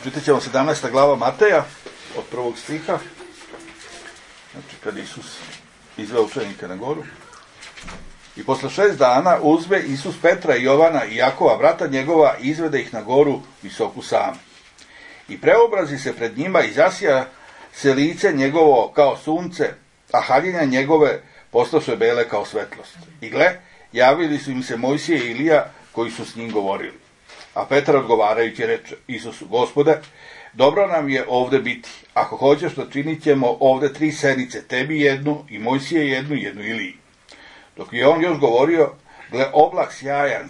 Čitat ćemo 17. glava Mateja od 1. stiha. Znači, kad Isus izveo učenike na goru. I posle 6 dana uzme Isus Petra i Jovana i Jakova, brata njegova, i izvede ih na goru visoku sam. I preobrazi se pred njima i zasija se lice njegovo kao sunce, a haljine njegove postaše bele kao svetlost. I gle, javili su im se Mojsije i Ilija koji su s njim govorili. A Petar odgovarajući reče Isusu: Gospode, dobro nam je ovde biti. Ako hoćeš, da činit ćemo ovde 3 senice, tebi jednu i Mojsije jednu Iliji. Dok je on još govorio, gle, oblak sjajan,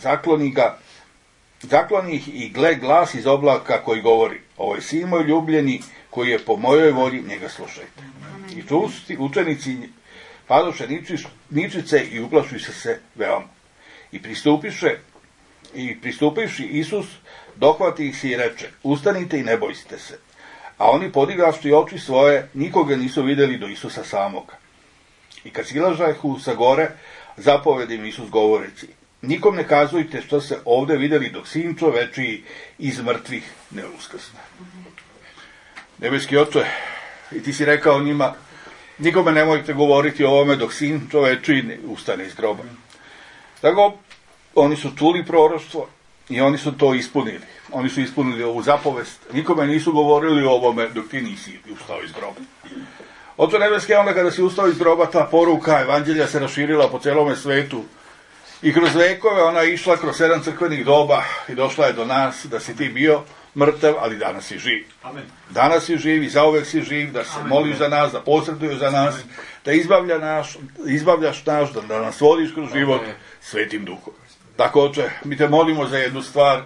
zakloni ih i gle, glas iz oblaka koji govori: ovo je sin moj ljubljeni, koji je po mojoj volji, njega slušajte. I čusti učenici padoše ničice i uplašiše se veoma. I pristupivši Isus, dohvati ih se i reče: ustanite i ne bojste se. A oni, podigavši oči svoje, nikoga nisu vidjeli do Isusa samoga. I kad silažahu sa gore, zapovedi im Isus govoreći: nikom ne kazujte što se ovde vidjeli dok sin čovečiji iz mrtvih ne uskrsne. Nebeski Oče, i ti si rekao njima: nikome nemojte govoriti o ovome dok sin čovečiji ne ustane iz groba. Tako, oni su čuli proroštvo i oni su to ispunili. Oni su ispunili ovu zapovest. Nikome nisu govorili o ovome dok ti nisi ustao iz groba. Oče nebeski, onda kada si ustao iz groba, ta poruka evanđelja se raširila po celome svetu. I kroz vekove ona je išla kroz 7 crkvenih doba i došla je do nas, da si ti bio mrtav, ali danas si živ. Amen. Danas si živ i zauvek si živ, da se moliš za nas, da posreduješ za nas, da izbavljaš naš, da nas vodiš kroz život Svetim Duhom. Tako, Oče, mi te molimo za jednu stvar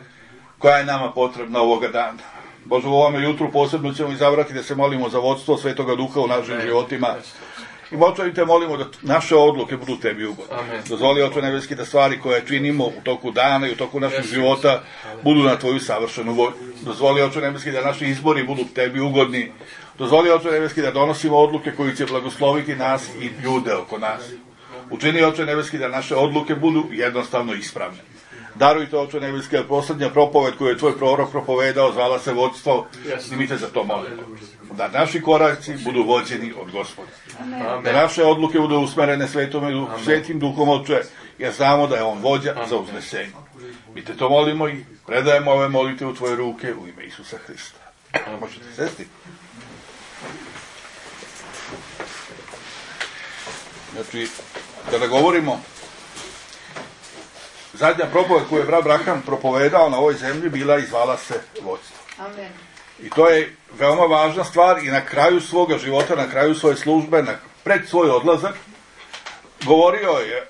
koja je nama potrebna ovoga dana. Bože, u ovome jutru posebno ćemo izabrati da se molimo za vodstvo Svetoga Duha u našim životima. I Oče, te molimo da naše odluke budu tebi ugodne. Dozvoli, Oče nebeski, da stvari koje činimo u toku dana i u toku našeg života budu na tvoju savršenu volju. Dozvoli, Oče nebeski, da naši izbori budu tebi ugodni. Dozvoli, Oče nebeski, da donosimo odluke koji će blagosloviti nas i ljude oko nas. Učini, Oče nebeski, da naše odluke budu jednostavno ispravne. Darujte, Oče nebeski, da poslednja propoved koju je tvoj prorok propovedao zvala se vodstvo, i mi te za to molimo. Da naši koraci budu vođeni od Gospoda. Da naše odluke budu usmerene Svetim Duhom, Oče, jer znamo da je on vođa za uznesenje. Mi te to molimo i predajemo ove molite u tvoje ruke u ime Isusa Hrista. Možete sesti? Znači, kada govorimo, zadnja propoved koju je brat Braham propovedao na ovoj zemlji bila i zvala se vodstvo. Amen. I to je veoma važna stvar i na kraju svoga života, na kraju svoje službe, pred svoj odlazak, govorio je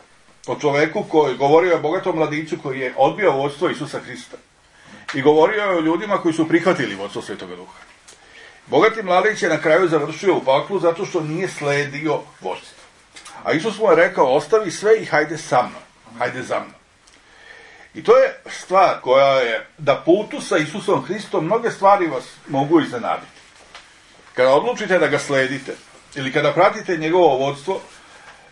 o čoveku govorio je o bogatom mladiću koji je odbio vodstvo Isusa Hrista. I govorio je o ljudima koji su prihvatili vodstvo Svetoga Duha. Bogati mladić je na kraju završio u paklu zato što nije sledio vodstvo. A Isus mu je rekao: ostavi sve i hajde sa mnom, hajde za mnom. I to je stvar koja je, da putu sa Isusom Hristom mnoge stvari vas mogu iznenaditi. Kada odlučite da ga sledite, ili kada pratite njegovo vodstvo,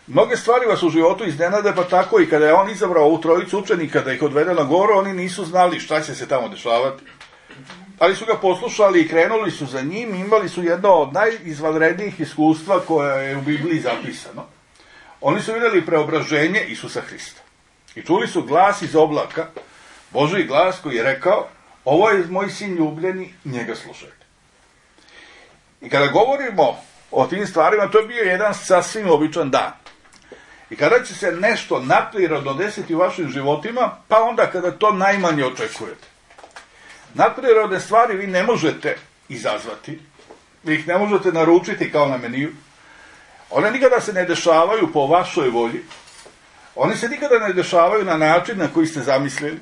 mnoge stvari vas u životu iznenade, pa tako i kada je on izabrao ovu trojicu učenika da ih odvede na goru, oni nisu znali šta će se tamo dešavati. Ali su ga poslušali i krenuli su za njim, imali su jedno od najizvanrednijih iskustva koje je u Bibliji zapisano. Oni su vidjeli preobraženje Isusa Hrista. I čuli su glas iz oblaka, Božji glas koji je rekao: ovo je moj sin ljubljeni, njega slušajte. I kada govorimo o tim stvarima, to je bio jedan sasvim običan dan. I kada će se nešto nadprirodno desiti u vašim životima, pa onda kada to najmanje očekujete. Nadprirodne stvari vi ne možete izazvati, vi ih ne možete naručiti kao na meniju. One nikada se ne dešavaju po vašoj volji. Oni se nikada ne dešavaju na način na koji ste zamislili.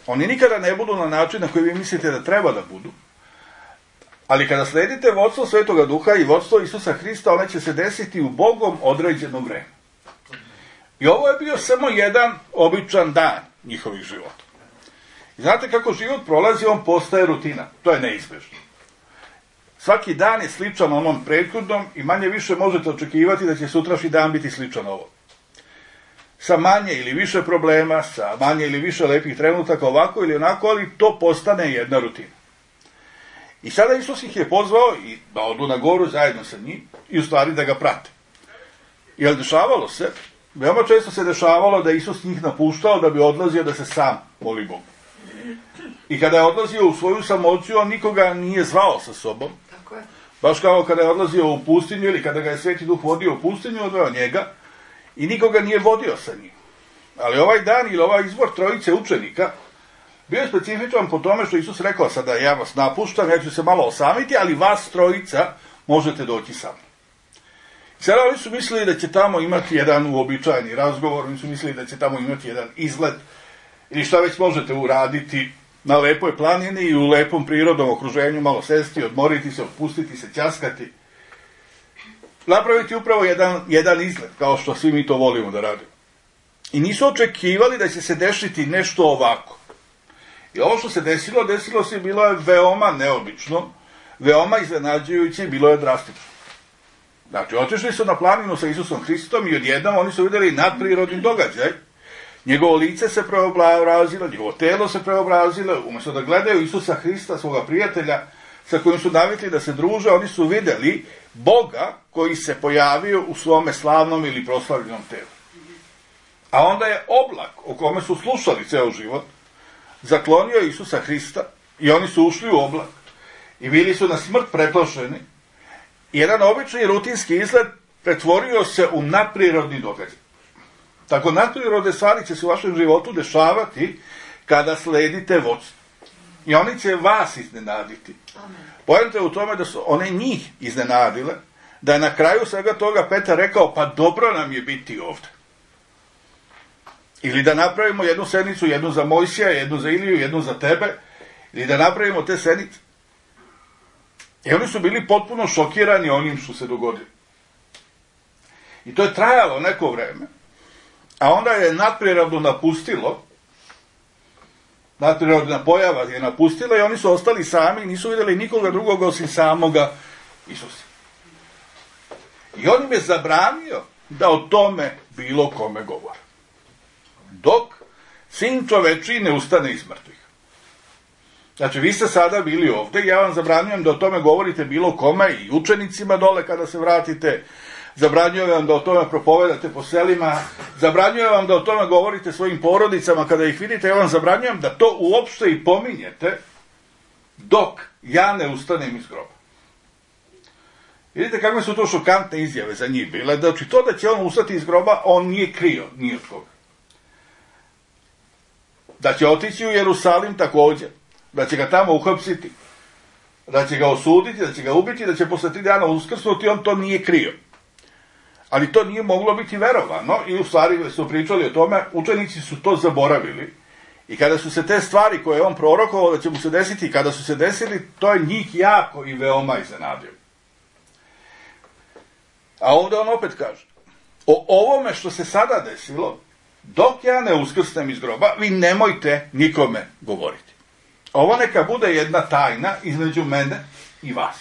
Oni nikada ne budu na način na koji vi mislite da treba da budu. Ali kada sledite vodstvo Svetoga Duha i vodstvo Isusa Hrista, one će se desiti u Bogom određeno vreme. I ovo je bio samo jedan običan dan njihovih života. I znate kako život prolazi, on postaje rutina. To je neizbežno. Svaki dan je sličan onom prethodnom i manje više možete očekivati da će sutrašnji dan biti sličan ovom. Sa manje ili više problema, sa manje ili više lepih trenutaka, ovako ili onako, ali to postane jedna rutina. I sada Isus ih je pozvao i da odu na goru zajedno sa njim i u stvari da ga prate. Jer dešavalo se, veoma često se dešavalo da Isus njih napuštao da bi odlazio da se sam moli Bogu. I kada je odlazio u svoju samoću, on nikoga nije zvao sa sobom. Tako je. Baš kao kada je odlazio u pustinju ili kada ga je Sveti Duh vodio u pustinju, odveo njega i nikoga nije vodio sa njim. Ali ovaj dan ili ovaj izbor trojice učenika bio je specifičan po tome što Isus rekao: sada ja vas napuštam, ja ću se malo osamiti, ali vas trojica možete doći sa mnom. Sada oni su mislili da će tamo imati jedan uobičajeni razgovor, oni su mislili da će tamo imati jedan izlet ili šta već možete uraditi na lepoj planini i u lepom prirodnom okruženju, malo sesti, odmoriti se, otpustiti se, ćaskati. Napraviti upravo jedan izlet, kao što svi mi to volimo da radimo. I nisu očekivali da će se desiti nešto ovako. I ovo što se desilo se, bilo je veoma neobično, veoma iznenađujuće i bilo je drastično. Znači, otišli su na planinu sa Isusom Hristom i odjednom oni su vidjeli nadprirodni događaj. Njegovo lice se preobrazilo, njegovo telo se preobrazilo, umjesto da gledaju Isusa Hrista, svoga prijatelja, sa kojim su navikli da se druže, oni su vidjeli Boga koji se pojavio u svome slavnom ili proslavljenom telu. A onda je oblak, o kome su slušali ceo život, zaklonio Isusa Hrista i oni su ušli u oblak i bili su na smrt preplašeni. Jedan obični rutinski izlet pretvorio se u nadprirodni događaj. Tako nadprirodne stvari će se u vašem životu dešavati kada sledite vodstvo. I oni će vas iznenaditi. Poenta je u tome da su one njih iznenadile, da je na kraju svega toga Petar rekao: pa dobro nam je biti ovdje. Ili da napravimo jednu sednicu, jednu za Mojsija, jednu za Iliju, jednu za tebe, ili da napravimo te sednice. I oni su bili potpuno šokirani onim što se dogodilo. I to je trajalo neko vreme, a onda je nadprirodno napustilo, nadprirodna pojava je napustila i oni su ostali sami i nisu vidjeli nikoga drugog osim samoga Isusa. I on im je zabranio da o tome bilo kome govore. Dok Sin čovečiji ne ustane iz mrtvih. Znači, vi ste sada bili ovdje i ja vam zabranjujem da o tome govorite bilo kome i učenicima dole kada se vratite. Zabranjujem vam da o tome propovedate po selima. Zabranjujem vam da o tome govorite svojim porodicama kada ih vidite. Ja vam zabranjujem da to uopšte i pominjete dok ja ne ustanem iz groba. Vidite kakve su to šokantne izjave za njih bile. Znači, to da će on ustati iz groba, on nije krio, nije od koga. Da će otići u Jerusalim također, da će ga tamo uhapsiti, da će ga osuditi, da će ga ubiti, da će posle 3 dana uskrsnuti, on to nije krio. Ali to nije moglo biti verovano i u stvari su pričali o tome, učenici su to zaboravili. I kada su se te stvari koje je on prorokovao da će mu se desiti, kada su se desili, to je njih jako i veoma iznenadio. A ovdje on opet kaže: o ovome što se sada desilo, dok ja ne uskrsnem iz groba, vi nemojte nikome govoriti. Ovo neka bude jedna tajna između mene i vas.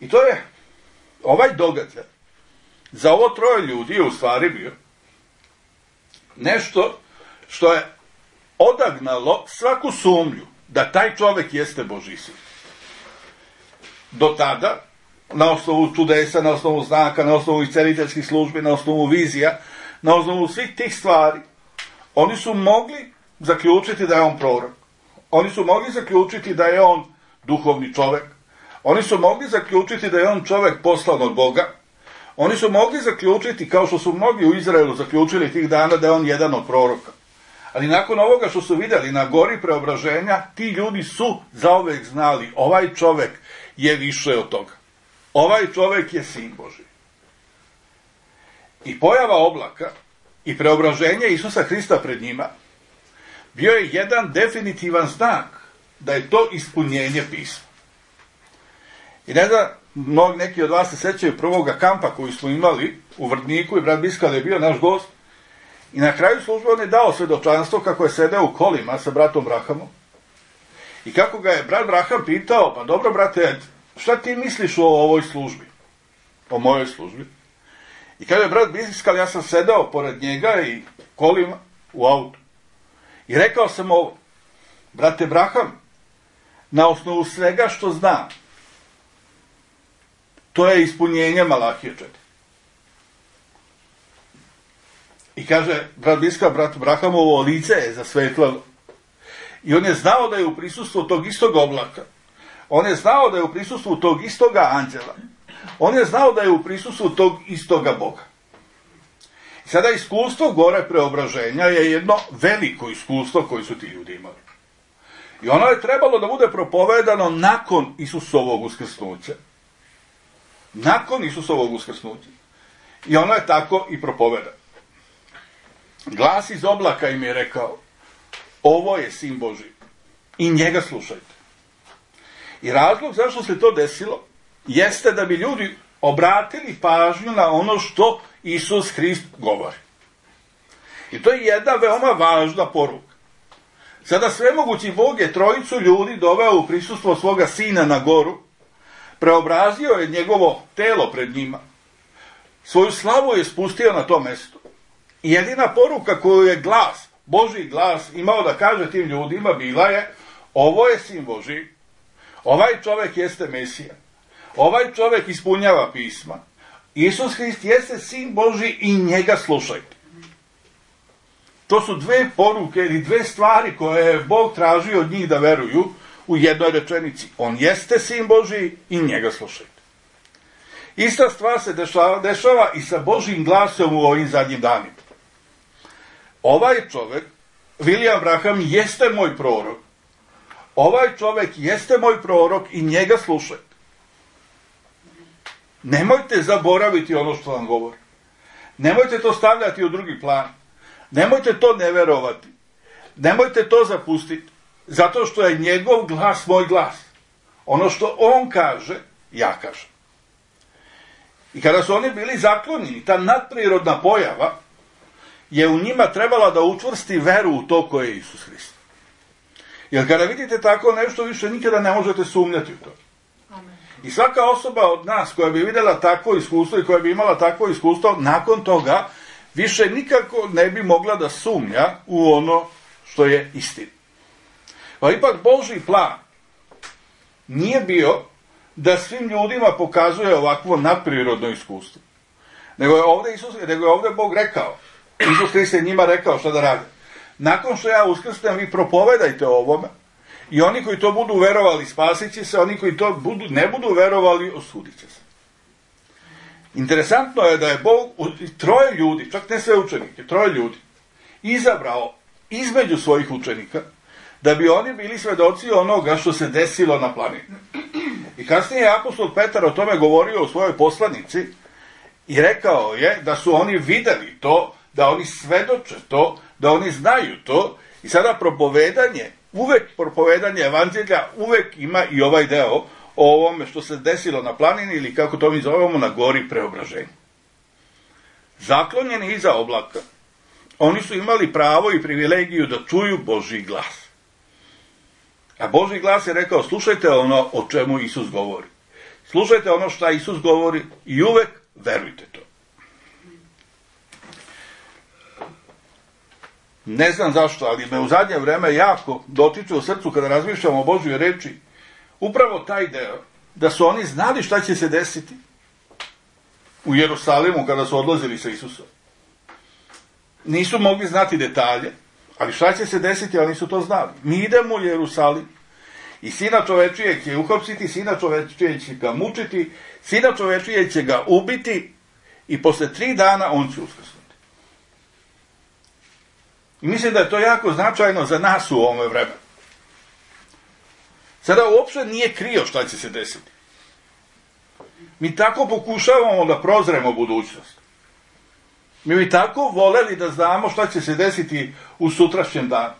I to je ovaj događaj za ovo 3 ljudi je u stvari bio nešto što je odagnalo svaku sumnju da taj čovjek jeste Božji sin. Do tada, na osnovu čudesa, na osnovu znaka, na osnovu isceliteljskih službi, na osnovu vizija, na osnovu svih tih stvari, oni su mogli zaključiti da je on prorok. Oni su mogli zaključiti da je on duhovni čovjek. Oni su mogli zaključiti da je on čovjek poslan od Boga. Oni su mogli zaključiti, kao što su mnogi u Izraelu zaključili tih dana, da je on jedan od proroka. Ali nakon ovoga što su vidjeli na gori preobraženja, ti ljudi su zauvek znali: ovaj čovjek je više od toga. Ovaj čovjek je sin Božji. I pojava oblaka i preobraženje Isusa Hrista pred njima bio je jedan definitivan znak da je to ispunjenje pisma. I ne znam, neki od vas se sećaju prvoga kampa koji smo imali u Vrdniku i brat Biskal je bio naš gost. I na kraju službe on je dao svedočanstvo kako je sedeo u kolima sa bratom Brahamom. I kako ga je brat Braham pitao: pa dobro brate, šta ti misliš o ovoj službi? O mojoj službi? I kada je brat Biskal, ja sam sedeo pored njega i kolima u autu. I rekao sam ovo: brate Braham, na osnovu svega što zna. To je ispunjenje Malahije 4. I kaže, brat Brahamovo lice je zasvetlalo. I on je znao da je u prisustvu tog istog oblaka. On je znao da je u prisustvu tog istoga anđela. On je znao da je u prisustvu tog istoga Boga. I sada iskustvo gore preobraženja je jedno veliko iskustvo koje su ti ljudi imali. I ono je trebalo da bude propovedano nakon Isusovog uskrsnuća. Nakon Isusovog uskrsnuća. I ono je tako i propovedano. Glas iz oblaka im je rekao, ovo je Sin Božji i njega slušajte. I razlog zašto se to desilo jeste da bi ljudi obratili pažnju na ono što Isus Hrist govori. I to je jedna veoma važna poruka. Sada svemogući Bog je trojicu ljudi doveo u prisustvo svoga Sina na goru, preobrazio je njegovo telo pred njima, svoju slavu je spustio na to mesto. I jedina poruka koju je glas, Božji glas, imao da kaže tim ljudima bila je, ovo je Sin Božji, ovaj čovek jeste Mesija, ovaj čovek ispunjava pisma, Isus Hrist jeste Sin Božji i njega slušajte. To su dve poruke ili dve stvari koje je Bog tražio od njih da veruju u jednoj rečenici. On jeste Sin Božji i njega slušajte. Ista stvar se dešava i sa Božjim glasom u ovim zadnjim danima. Ovaj čovek, William Branham, jeste moj prorok. Ovaj čovek jeste moj prorok i njega slušajte. Nemojte zaboraviti ono što vam govori. Nemojte to stavljati u drugi plan. Nemojte to ne verovati. Nemojte to zapustiti. Zato što je njegov glas moj glas. Ono što on kaže, ja kažem. I kada su oni bili zaklonjeni, ta nadprirodna pojava je u njima trebala da učvrsti veru u to koje je Isus Hrist. Jer kada vidite tako nešto, više nikada ne možete sumnjati u to. Amen. I svaka osoba od nas koja bi vidjela takvo iskustvo i koja bi imala takvo iskustvo, nakon toga više nikako ne bi mogla da sumnja u ono što je istina. Pa ipak Božji plan nije bio da svim ljudima pokazuje ovakvo nadprirodno iskustvo. Nego je ovdje Bog rekao, Isus Hrist je njima rekao šta da rade. Nakon što ja uskrsnem, vi propovedajte o ovome i oni koji to budu verovali spasit će se, oni koji to ne budu verovali osudit će se. Interesantno je da je Bog troje ljudi, čak ne sve učenike, troje ljudi, izabrao između svojih učenika da bi oni bili svedoci onoga što se desilo na planini. I kasnije je apostol Petar o tome govorio u svojoj poslanici i rekao je da su oni videli to, da oni svedoče to, da oni znaju to i sada propovedanje evanđelja uvek ima i ovaj deo o ovome što se desilo na planini ili kako to mi zovemo na gori preobraženja. Zaklonjeni iza oblaka, oni su imali pravo i privilegiju da čuju Božji glas. A Božji glas je rekao, slušajte ono o čemu Isus govori. Slušajte ono što Isus govori i uvek verujte to. Ne znam zašto, ali me u zadnje vreme jako dotiče u srcu kada razmišljamo o Božjoj reči, upravo taj deo, da su oni znali šta će se desiti u Jerusalimu kada su odlazili sa Isusom. Nisu mogli znati detalje, ali šta će se desiti, oni su to znali. Mi idemo u Jerusalim i Sina čovečijeg će uhapsiti, Sina čovečijeg će ga mučiti, Sina čovečijeg će ga ubiti i posle 3 dana on će uskrsnuti. I mislim da je to jako značajno za nas u ovome vremenu. Sada uopšte nije krio šta će se desiti. Mi tako pokušavamo da prozremo budućnost. Mi bi tako voleli da znamo šta će se desiti u sutrašnjem danu.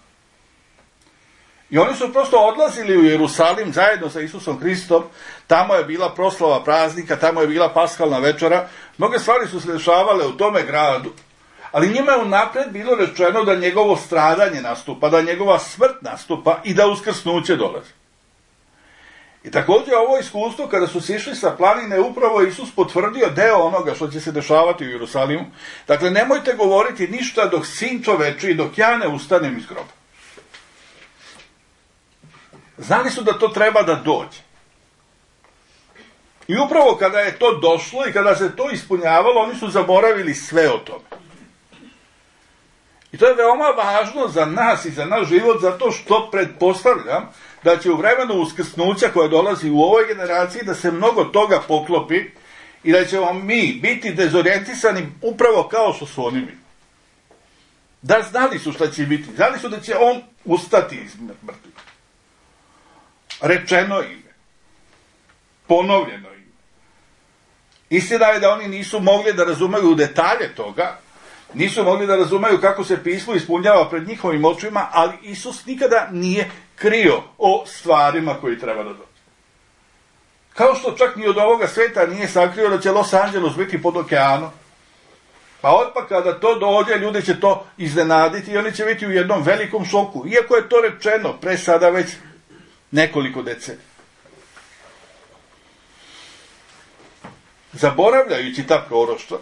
I oni su prosto odlazili u Jerusalim zajedno sa Isusom Hristom, tamo je bila proslava praznika, tamo je bila paskalna večera, mnoge stvari su se dešavale u tome gradu, ali njima je unapred bilo rečeno da njegovo stradanje nastupa, da njegova smrt nastupa i da uskrsnuće dolazi. I također ovo iskustvo, kada su sišli sa planine, upravo Isus potvrdio deo onoga što će se dešavati u Jerusalimu. Dakle, nemojte govoriti ništa dok Sin čoveči, dok ja ne ustanem iz groba. Znali su da to treba da dođe. I upravo kada je to došlo i kada se to ispunjavalo, oni su zaboravili sve o tome. I to je veoma važno za nas i za naš život, zato što pretpostavljam da će u vremenu uskrsnuća koja dolazi u ovoj generaciji da se mnogo toga poklopi i da ćemo mi biti dezorijentisani upravo kao što su oni bili. Da, znali su šta će biti. Znali su da će on ustati iz mrtvih. Rečeno im je. Ponovljeno im je. Istina je da oni nisu mogli da razumeju detalje toga, nisu mogli da razumeju kako se pismo ispunjava pred njihovim očima, ali Isus nikada nije krio o stvarima koji treba da dođe. Kao što čak ni od ovoga sveta nije sakrio da će Los Angeles biti pod okeanom. Pa odmah kada to dođe, ljudi će to iznenaditi i oni će biti u jednom velikom šoku. Iako je to rečeno pre sada već nekoliko decenija. Zaboravljajući ta proroštva,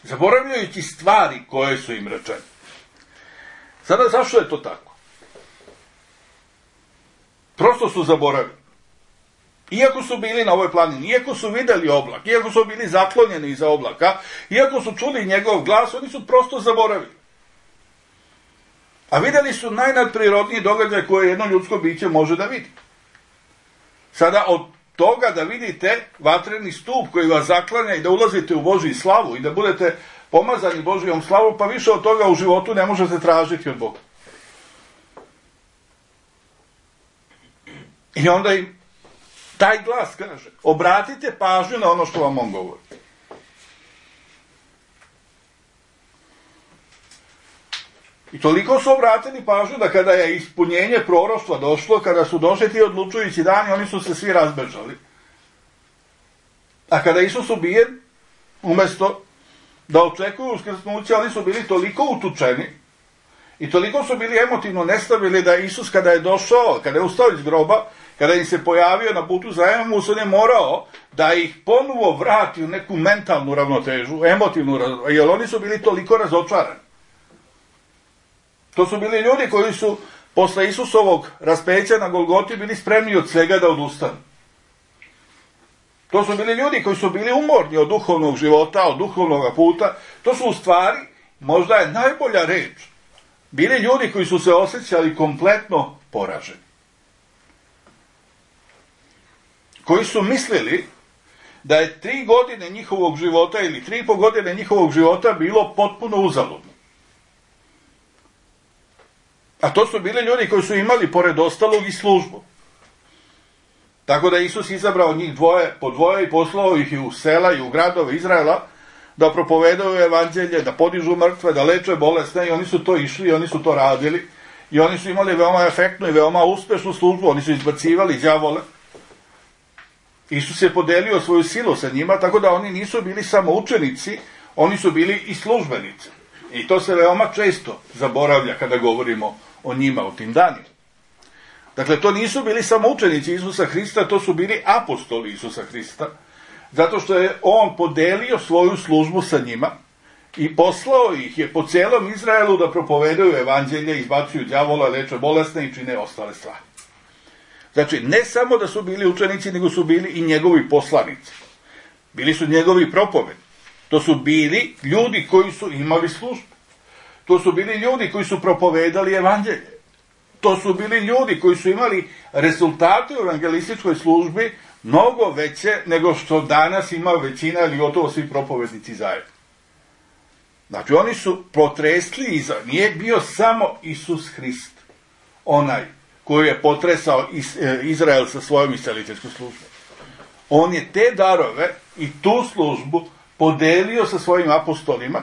zaboravljajući stvari koje su im rečene. Sada, zašto je to tako? Prosto su zaboravili. Iako su bili na ovoj planini, iako su videli oblak, iako su bili zaklonjeni iza oblaka, iako su čuli njegov glas, oni su prosto zaboravili. A videli su najnadprirodniji događaj koje jedno ljudsko biće može da vidi. Sada od toga da vidite vatreni stup koji vas zaklanja i da ulazite u Božju slavu i da budete pomazani Božjom slavom, pa više od toga u životu ne možete tražiti od Boga. I onda im taj glas kaže, obratite pažnju na ono što vam on govori. I toliko su obratili pažnju da kada je ispunjenje proroštva došlo, kada su došli ti odlučujući dani, oni su se svi razbežali. A kada je Isus ubijen, umjesto da očekuju uskrsnuće, oni su bili toliko utučeni i toliko su bili emotivno nestabilni da Isus kada je došao, kada je ustao iz groba, kada im se pojavio na putu za Emaus, on je morao da ih ponovo vrati u neku mentalnu ravnotežu, emotivnu ravnotežu, jer oni su bili toliko razočarani. To su bili ljudi koji su posle Isusovog raspeća na Golgoti bili spremni od svega da odustanu. To su bili ljudi koji su bili umorni od duhovnog života, od duhovnog puta. To su u stvari, možda je najbolja reč, bili ljudi koji su se osjećali kompletno poraženi. Koji su mislili da je 3 godine njihovog života ili 3,5 godine njihovog života bilo potpuno uzaludno. A to su bili ljudi koji su imali, pored ostalog, i službu. Tako da Isus izabrao njih po dvoje i poslao ih i u sela i u gradove Izraela da propovedaju evanđelje, da podižu mrtve, da leče bolesne, i oni su to išli i oni su to radili. I oni su imali veoma efektnu i veoma uspešnu službu, oni su izbacivali đavole. Isus je podelio svoju silu sa njima, tako da oni nisu bili samo učenici, oni su bili i službenici. I to se veoma često zaboravlja kada govorimo o njima u tim danima. Dakle, to nisu bili samo učenici Isusa Hrista, to su bili apostoli Isusa Hrista, zato što je on podelio svoju službu sa njima i poslao ih je po celom Izraelu da propovedaju evanđelje, izbacuju đavola, leče bolesne i čine ostale stvari. Znači, ne samo da su bili učenici, nego su bili i njegovi poslanici. Bili su njegovi propovedi. To su bili ljudi koji su imali službu. To su bili ljudi koji su propovedali evanđelje. To su bili ljudi koji su imali rezultate u evangelističkoj službi mnogo veće nego što danas ima većina ili gotovo svi propovednici zajedno. Znači, oni su potresli nije bio samo Isus Hrist, onaj koji je potresao Izrael sa svojom isceliteljskom službom. On je te darove i tu službu podelio sa svojim apostolima.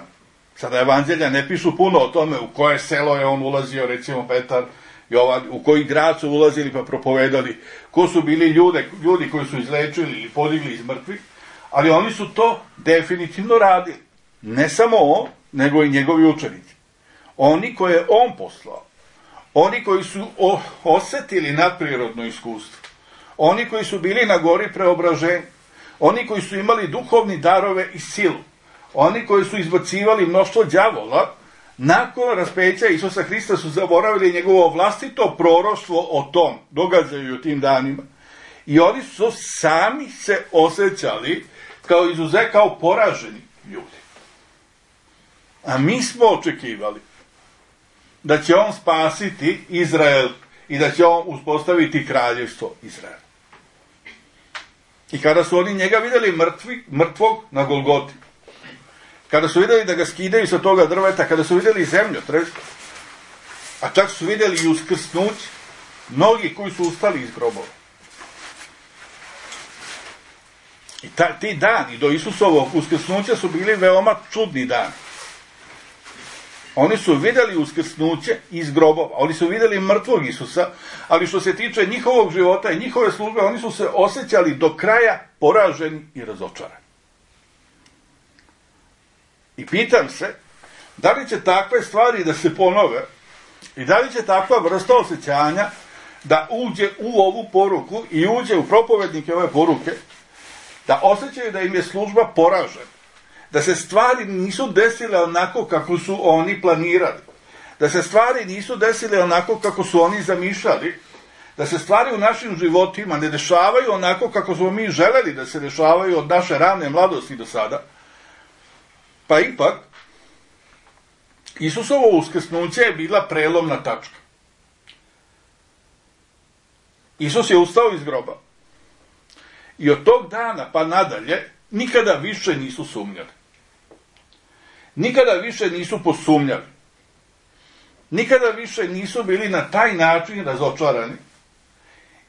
Sada evanđelja ne pišu puno o tome u koje selo je on ulazio, recimo Petar, Jovan, u koji grad su ulazili pa propovedali, ko su bili ljudi koji su izlečili ili podigli iz mrtvih, ali oni su to definitivno radili. Ne samo on, nego i njegovi učenici. Oni koje je on poslao, oni koji su osetili nadprirodno iskustvo, oni koji su bili na gori preobraženja, oni koji su imali duhovni darove i silu, oni koji su izbacivali mnoštvo đavola, nakon raspeća Isusa Hrista su zaboravili njegovo vlastito proroštvo o tom događaju u tim danima. I oni su sami se osjećali kao poraženi ljudi. A mi smo očekivali da će on spasiti Izrael i da će on uspostaviti kraljevstvo Izraela. I kada su oni njega vidjeli mrtvog na Golgoti, kada su vidjeli da ga skidaju sa toga drveta, kada su vidjeli zemljotres, a čak su vidjeli i uskrsnuće, mnogi koji su ustali iz grobova. I ti dani do Isusovog uskrsnuća su bili veoma čudni dani. Oni su vidjeli uskrsnuće iz grobova, oni su vidjeli mrtvog Isusa, ali što se tiče njihovog života i njihove službe, oni su se osjećali do kraja poraženi i razočarani. I pitam se, da li će takve stvari da se ponove i da li će takva vrsta osjećanja da uđe u ovu poruku i uđe u propovednike ove poruke, da osjećaju da im je služba poražena, da se stvari nisu desile onako kako su oni planirali, da se stvari nisu desile onako kako su oni zamišljali, da se stvari u našim životima ne dešavaju onako kako smo mi želeli da se dešavaju od naše rane mladosti do sada, pa ipak Isusovo uskrsnuće je bila prelomna tačka. Isus je ustao iz groba i od tog dana pa nadalje nikada više nisu sumnjali. Nikada više nisu posumnjali. Nikada više nisu bili na taj način razočarani.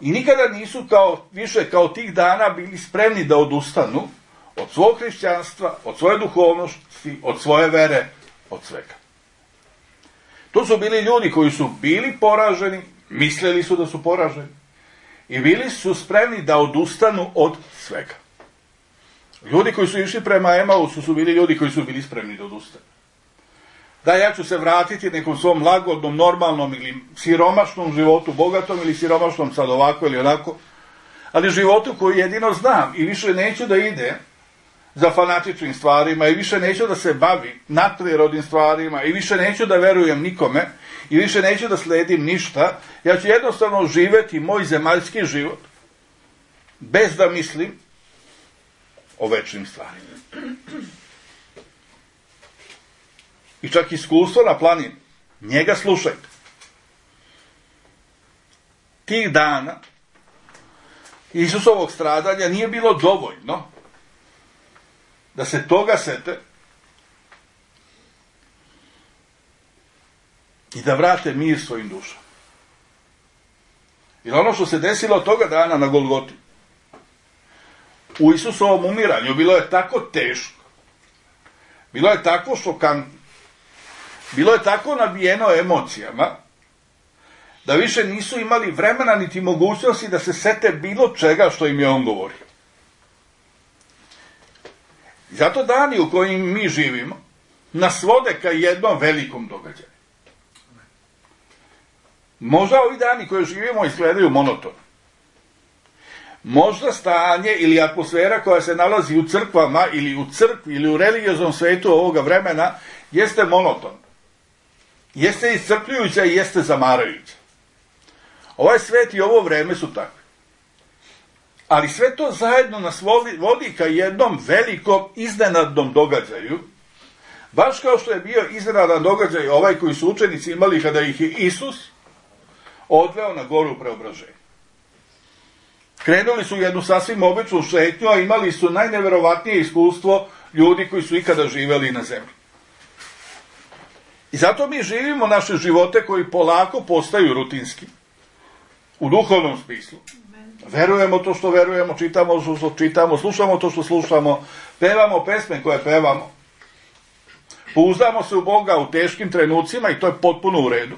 I nikada nisu više kao tih dana bili spremni da odustanu od svog hrišćanstva, od svoje duhovnosti, od svoje vere, od svega. To su bili ljudi koji su bili poraženi, mislili su da su poraženi i bili su spremni da odustanu od svega. Ljudi koji su išli prema Emausu su bili ljudi koji su bili spremni da odustanu. Da, ja ću se vratiti nekom svom lagodnom, normalnom ili siromašnom životu, bogatom ili siromašnom, sad ovako ili onako, ali životu koji jedino znam i više neću da ide za fanatičnim stvarima i više neću da se bavi nadprirodnim stvarima i više neću da verujem nikome i više neću da sledim ništa. Ja ću jednostavno živjeti moj zemaljski život bez da mislim o večnim stvarima. I čak iskustvo na planini, njega slušajte. Tih dana Isusovog stradanja nije bilo dovoljno da se toga sete i da vrate mir svojim dušama. Jer ono što se desilo toga dana na Golgoti, u Isusovom umiranju, bilo je tako teško, bilo je tako šokantno, bilo je tako nabijeno emocijama, da više nisu imali vremena niti mogućnosti da se sete bilo čega što im je on govorio. Zato dani u kojim mi živimo nas vode ka jednom velikom događaju. Možda ovi dani koje živimo izgledaju monotono. Možda stanje ili atmosfera koja se nalazi u crkvama ili u crkvi ili u religioznom svetu ovoga vremena jeste monoton. Jeste iscrpljujuća i jeste zamarajuća. Ovaj svet i ovo vreme su takve. Ali sve to zajedno nas vodi ka jednom velikom iznenadnom događaju, baš kao što je bio iznenadan događaj ovaj koji su učenici imali kada ih je Isus odveo na goru preobraženja. Krenuli su jednu sasvim običnu šetnju, a imali su najneverovatnije iskustvo ljudi koji su ikada živeli na zemlji. I zato mi živimo naše živote koji polako postaju rutinski, u duhovnom smislu. Verujemo to što verujemo, čitamo to što čitamo, slušamo to što slušamo, pevamo pesme koje pevamo. Pouzdamo se u Boga u teškim trenucima i to je potpuno u redu.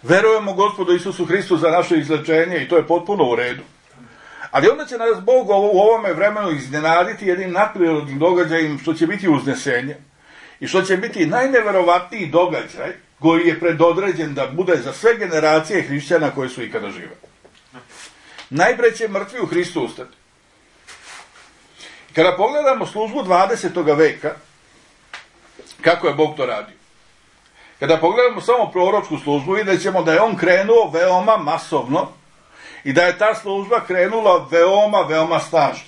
Verujemo Gospodu Isusu Hristu za naše izlečenje i to je potpuno u redu. Ali onda će nas Bog u ovome vremenu iznenaditi jednim nadprirodnim događajem što će biti uznesenje i što će biti najneverovatniji događaj koji je predodređen da bude za sve generacije hrišćana koje su ikada žive. Najpre će mrtvi u Hristu ustati. Kada pogledamo službu 20. veka, kako je Bog to radio? Kada pogledamo samo proročku službu, vidjet ćemo da je on krenuo veoma masovno i da je ta služba krenula veoma, veoma snažno.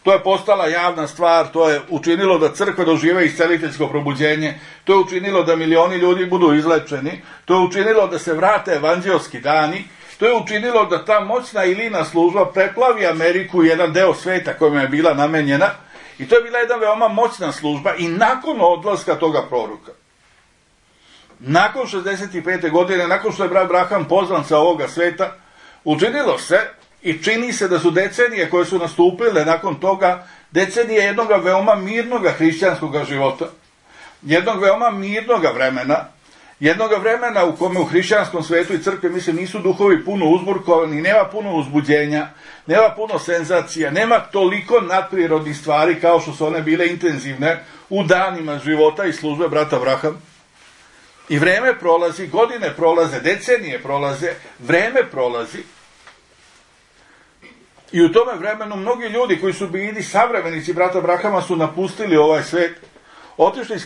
To je postala javna stvar, to je učinilo da crkva dožive isceliteljsko probuđenje, to je učinilo da milioni ljudi budu izlečeni, to je učinilo da se vrate evanđelski dani, to je učinilo da ta moćna Ilina služba preplavi Ameriku i jedan deo sveta kojima je bila namenjena, i to je bila jedna veoma moćna služba. I nakon odlaska toga proroka, nakon 65. godine, nakon što je brat Braham pozvan sa ovoga sveta, učinilo se i čini se da su decenije koje su nastupile nakon toga decenije jednog veoma mirnog hrišćanskog života, jednog veoma mirnog vremena, jednog vremena u kome u hrišćanskom svetu i crkvi, mislim, nisu duhovi puno uzburkovani, nema puno uzbuđenja, nema puno senzacija, nema toliko nadprirodnih stvari kao što su one bile intenzivne u danima života i službe brata Braham. I vreme prolazi, godine prolaze, decenije prolaze, vreme prolazi. I u tome vremenu mnogi ljudi koji su bili savremenici brata Brahama su napustili ovaj svet, otišli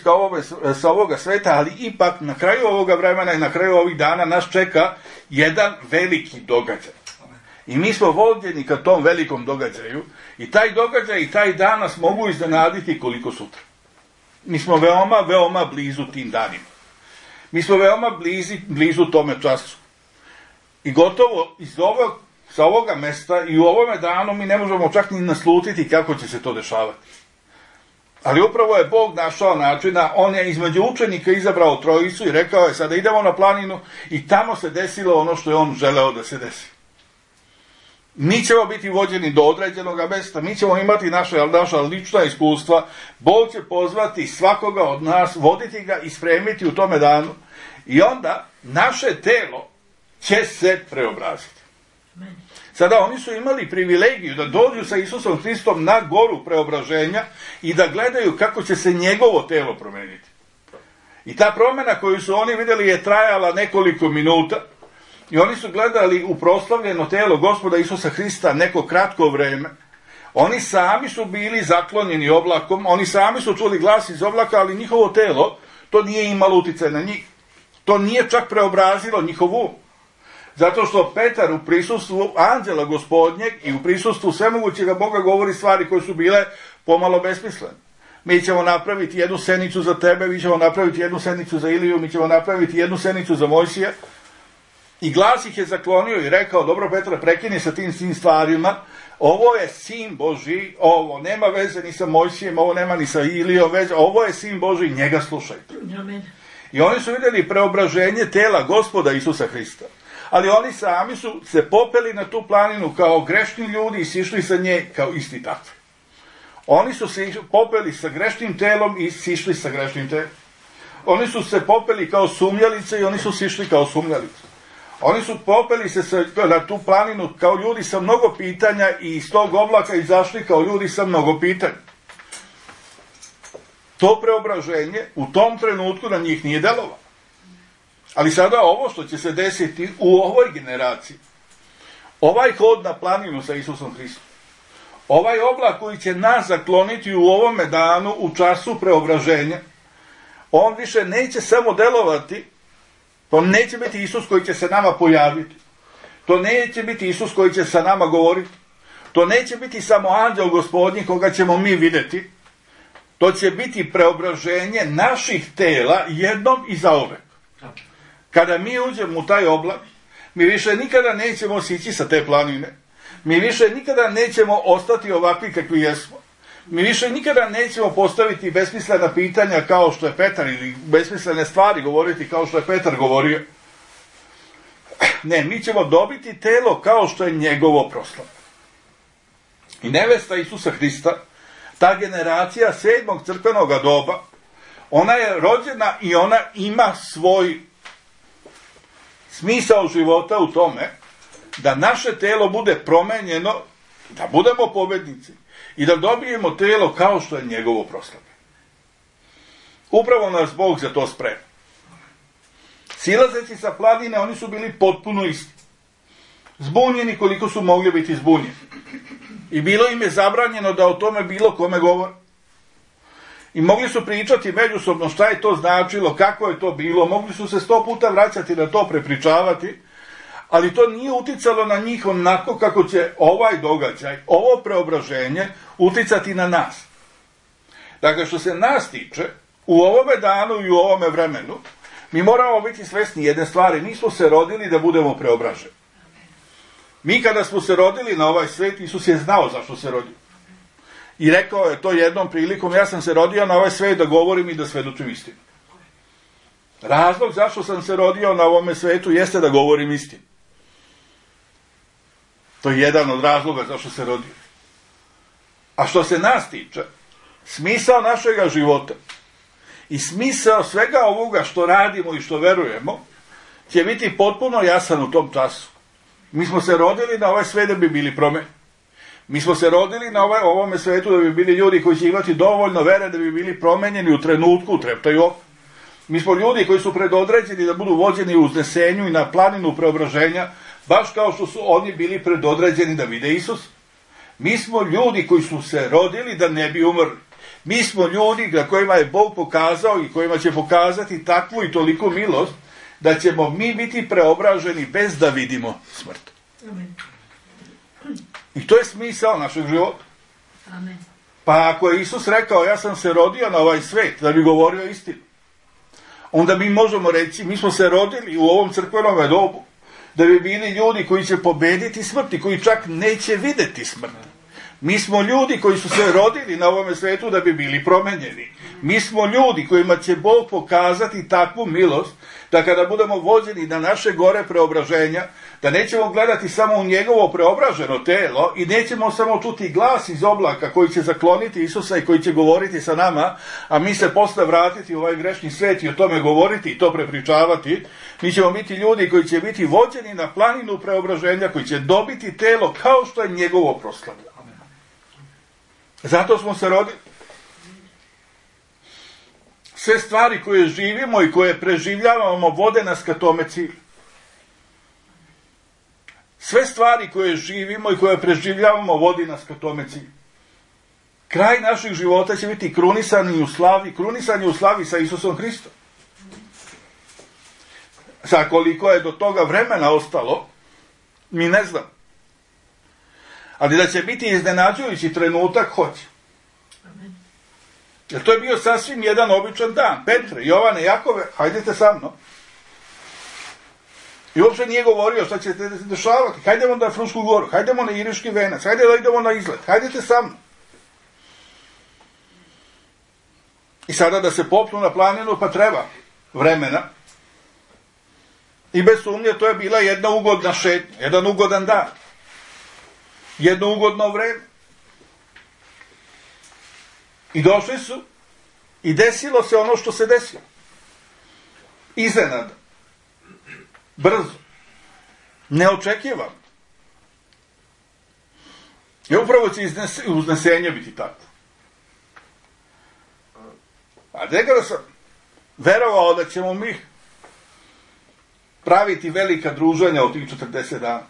sa ovoga sveta, ali ipak na kraju ovoga vremena i na kraju ovih dana nas čeka jedan veliki događaj. I mi smo vođeni ka tom velikom događaju i taj događaj i taj dan nas mogu iznenaditi koliko sutra. Mi smo veoma, veoma blizu tim danima. Mi smo veoma blizu tome času. I gotovo sa ovoga mesta i u ovome danu mi ne možemo čak ni naslutiti kako će se to dešavati. Ali upravo je Bog našao načina, on je između učenika izabrao trojicu i rekao je sada idemo na planinu i tamo se desilo ono što je on želeo da se desi. Mi ćemo biti vođeni do određenog mesta, mi ćemo imati naša lična iskustva, Bog će pozvati svakoga od nas, voditi ga i spremiti u tome danu i onda naše telo će se preobraziti. Sada oni su imali privilegiju da dođu sa Isusom Hristom na goru preobraženja i da gledaju kako će se njegovo telo promeniti. I ta promjena koju su oni vidjeli je trajala nekoliko minuta i oni su gledali u proslavljeno telo Gospoda Isusa Hrista neko kratko vreme. Oni sami su bili zaklonjeni oblakom, oni sami su čuli glas iz oblaka, ali njihovo telo to nije imalo utjecaj na njih. To nije čak preobrazilo njihovu. Zato što Petar u prisustvu anđela Gospodnjeg i u prisustvu svemogućega Boga govori stvari koje su bile pomalo besmislene. Mi ćemo napraviti jednu senicu za tebe, mi ćemo napraviti jednu senicu za Iliju, mi ćemo napraviti jednu senicu za Mojsija. I glas ih je zaklonio i rekao, dobro Petra, prekini sa tim stvarima, ovo je sin Božji, ovo nema veze ni sa Mojsijem, ovo nema ni sa Ilijom veze, ovo je sin Božji, njega slušajte. Amen. I oni su vidjeli preobraženje tela Gospoda Isusa Hrista. Ali oni sami su se popeli na tu planinu kao grešni ljudi i sišli sa nje kao isti takvi. Oni su se popeli sa grešnim telom i sišli sa grešnim telom. Oni su se popeli kao sumnjalice i oni su sišli kao sumnjalice. Oni su popeli se na tu planinu kao ljudi sa mnogo pitanja i iz tog oblaka izašli kao ljudi sa mnogo pitanja. To preobraženje u tom trenutku na njih nije delovalo. Ali sada ovo što će se desiti u ovoj generaciji, ovaj hod na planinu sa Isusom Hristom, ovaj oblak koji će nas zakloniti u ovome danu, u času preobraženja, on više neće samo delovati, to neće biti Isus koji će se nama pojaviti, to neće biti Isus koji će sa nama govoriti, to neće biti samo anđel Gospodnji koga ćemo mi vidjeti, to će biti preobraženje naših tela jednom i zauvek. Kada mi uđemo u taj oblak, mi više nikada nećemo sići sa te planine. Mi više nikada nećemo ostati ovakvi kakvi jesmo. Mi više nikada nećemo postaviti besmislena pitanja kao što je Petar ili besmislene stvari govoriti kao što je Petar govorio. Ne, mi ćemo dobiti telo kao što je njegovo proslavo. I nevesta Isusa Hrista, ta generacija 7. crkvenog doba, ona je rođena i ona ima svoj smisao života u tome da naše telo bude promenjeno, da budemo pobednici i da dobijemo telo kao što je njegovo proslavlje. Upravo nas Bog za to sprema. Silazeći sa planine, oni su bili potpuno isti. Zbunjeni koliko su mogli biti zbunjeni. I bilo im je zabranjeno da o tome bilo kome govore. I mogli su pričati međusobno šta je to značilo, kako je to bilo, mogli su se 100 puta vraćati na to, prepričavati, ali to nije uticalo na njih onako kako će ovaj događaj, ovo preobraženje uticati na nas. Dakle, što se nas tiče, u ovome danu i u ovome vremenu, mi moramo biti svesni jedne stvari, nismo se rodili da budemo preobraženi. Mi kada smo se rodili na ovaj svet, Isus je znao zašto se rodio. I rekao je to jednom prilikom, ja sam se rodio na ovaj svet da govorim i da svedočim istinu. Razlog zašto sam se rodio na ovome svetu jeste da govorim istinu. To je jedan od razloga zašto se rodio. A što se nas tiče, smisao našega života i smisao svega ovoga što radimo i što verujemo će biti potpuno jasan u tom času. Mi smo se rodili na ovaj svet da bi bili promenjeni. Mi smo se rodili na ovome svetu da bi bili ljudi koji će imati dovoljno vere da bi bili promenjeni u trenutku, u treptaju oka. Mi smo ljudi koji su predodređeni da budu vođeni u uznesenju i na planinu preobraženja, baš kao što su oni bili predodređeni da vide Isus. Mi smo ljudi koji su se rodili da ne bi umrli. Mi smo ljudi na kojima je Bog pokazao i kojima će pokazati takvu i toliku milost da ćemo mi biti preobraženi bez da vidimo smrt. Amen. I to je smisao našeg života. Amen. Pa ako je Isus rekao ja sam se rodio na ovaj svet da bi govorio istinu, onda mi možemo reći mi smo se rodili u ovom crkvenom dobu da bi bili ljudi koji će pobediti smrt i koji čak neće videti smrt. Mi smo ljudi koji su se rodili na ovome svetu da bi bili promenjeni. Mi smo ljudi kojima će Bog pokazati takvu milost da kada budemo vođeni na naše gore preobraženja, da nećemo gledati samo u njegovo preobraženo telo i nećemo samo čuti glas iz oblaka koji će zakloniti Isusa i koji će govoriti sa nama, a mi se posle vratiti u ovaj grešni svet i o tome govoriti i to prepričavati. Mi ćemo biti ljudi koji će biti vođeni na planinu preobraženja, koji će dobiti telo kao što je njegovo proslavljeno. Zato smo se rodili. Sve stvari koje živimo i koje preživljavamo vode nas ka tome cilju. Sve stvari koje živimo i koje preživljavamo vodi nas ka tome cilju. Kraj naših života će biti krunisani u slavi sa Isusom Hristom. Sad koliko je do toga vremena ostalo, mi ne znam. Ali da će biti iznenađujući trenutak, hoće. Jer to je bio sasvim jedan običan dan. Petre, Jovane, Jakove, hajdete sa mnom. I uopšte nije govorio šta će se dešavati. Hajdemo na Frušku goru, hajdemo na Iriški venac, hajde da idemo na izlet, hajdete sa mnom. I sada da se popnu na planinu, pa treba vremena. I bez sumnje to je bila jedna ugodna šetnja, jedan ugodan dan. Jedno ugodno vreme. I došli su i desilo se ono što se desilo. Iznenada. Brzo. Neočekivano. I upravo će uznesenje biti tako. A nekada sam verovao da ćemo mi praviti velika druženja od tih 40 dana.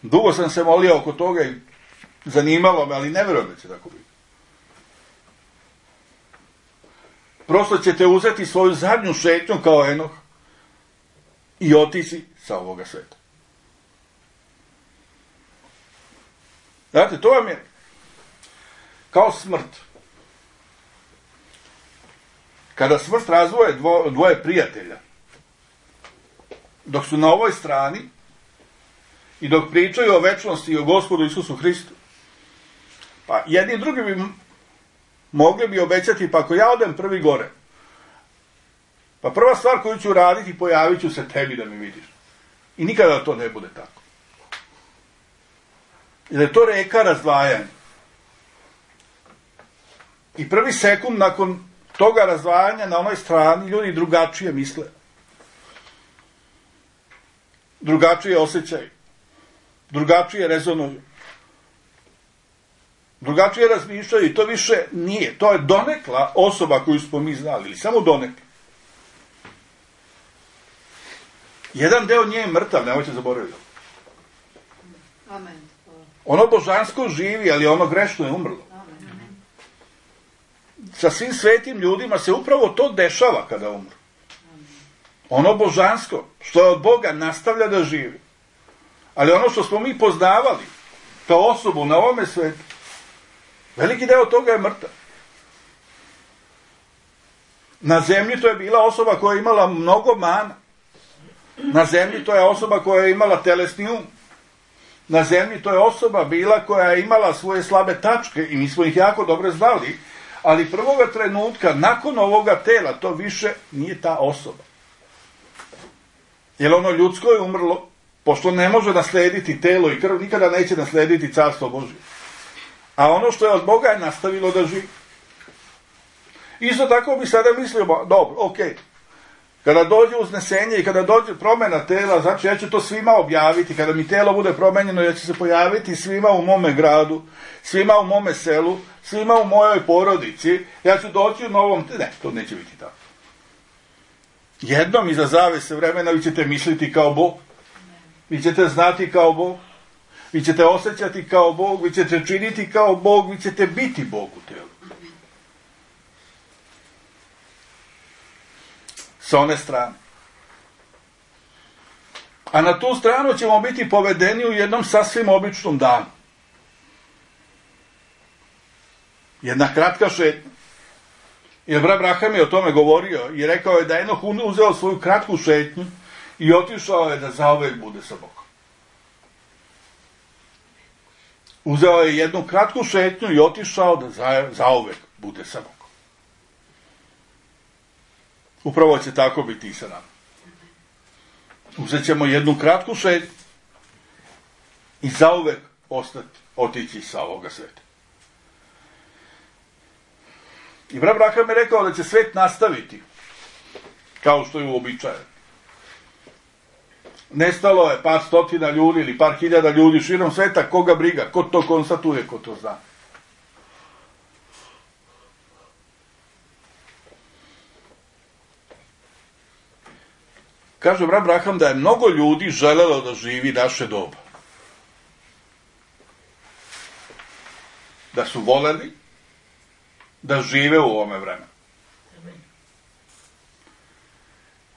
Dugo sam se molio oko toga i zanimalo me, ali ne verujem da će tako biti. Prosto ćete uzeti svoju zadnju šetnju kao Enoh i otići sa ovoga sveta. Znate, to vam je kao smrt. Kada smrt razvoje dvoje prijatelja, dok su na ovoj strani i dok pričaju o večnosti i o Gospodu Isusu Hristu, pa jedni i drugi bi mogli bi obećati, pa ako ja odem prvi gore, pa prva stvar koju ću raditi, pojavit ću se tebi da mi vidiš. I nikada to ne bude tako. Jer je to reka razdvajanja. I prvi sekund nakon toga razdvajanja na onoj strani ljudi drugačije misle. Drugačije osjećaju. Drugačije rezonuju. Drugačije razmišljaju i to više nije. To je donekla osoba koju smo mi znali, ili samo donekla. Jedan deo nje je mrtav, nemojte zaboraviti. Amen. Ono božansko živi, ali ono grešno je umrlo. Amen. sa svim svetim ljudima se upravo to dešava kada umru. Ono božansko, što je od Boga, nastavlja da živi. Ali ono što smo mi poznavali kao osobu na ovome svetu, veliki deo toga je mrtav. Na zemlji to je bila osoba koja je imala mnogo mana. Na zemlji to je osoba koja je imala telesni um. Na zemlji to je osoba bila koja je imala svoje slabe tačke i mi smo ih jako dobro znali, ali prvoga trenutka, nakon ovoga tela, to više nije ta osoba. Jer ono ljudsko je umrlo, pošto ne može naslediti telo i krv, nikada neće naslediti carstvo Božje. A ono što je od Boga je nastavilo da živi. Isto tako bi sada mislio, dobro, okej. Kada dođe uznesenje i kada dođe promjena tela, znači ja ću to svima objaviti, kada mi telo bude promenjeno, ja ću se pojaviti svima u mome gradu, svima u mome selu, svima u mojoj porodici, ja ću doći u novom... Ne, to neće biti tako. Jednom iza zavese vremena vi ćete misliti kao Bog, vi ćete znati kao Bog, vi ćete osjećati kao Bog, vi ćete činiti kao Bog, vi ćete biti Bog u telu. Sa one strane. A na tu stranu ćemo biti povedeni u jednom sasvim običnom danu. Jedna kratka šetnja. Jer brat Abraham je o tome govorio i rekao je da Enoh uzeo svoju kratku šetnju i otišao je da zauvek bude sa Bogom. Uzeo je jednu kratku šetnju i otišao da zauvek bude sa Bogom. Upravo će tako biti i sa nama. Uzet ćemo jednu kratku šetnju i zauvek otići sa ovoga sveta. I brat Abraham je rekao da će svet nastaviti kao što je uobičajeno. Nestalo je par stotina ljudi ili par hiljada ljudi širom sveta, koga briga, ko to konstatuje, ko to zna. Kaže brat Abraham da je mnogo ljudi želelo da živi naše doba. Da su voleli da žive u ovome vremenu.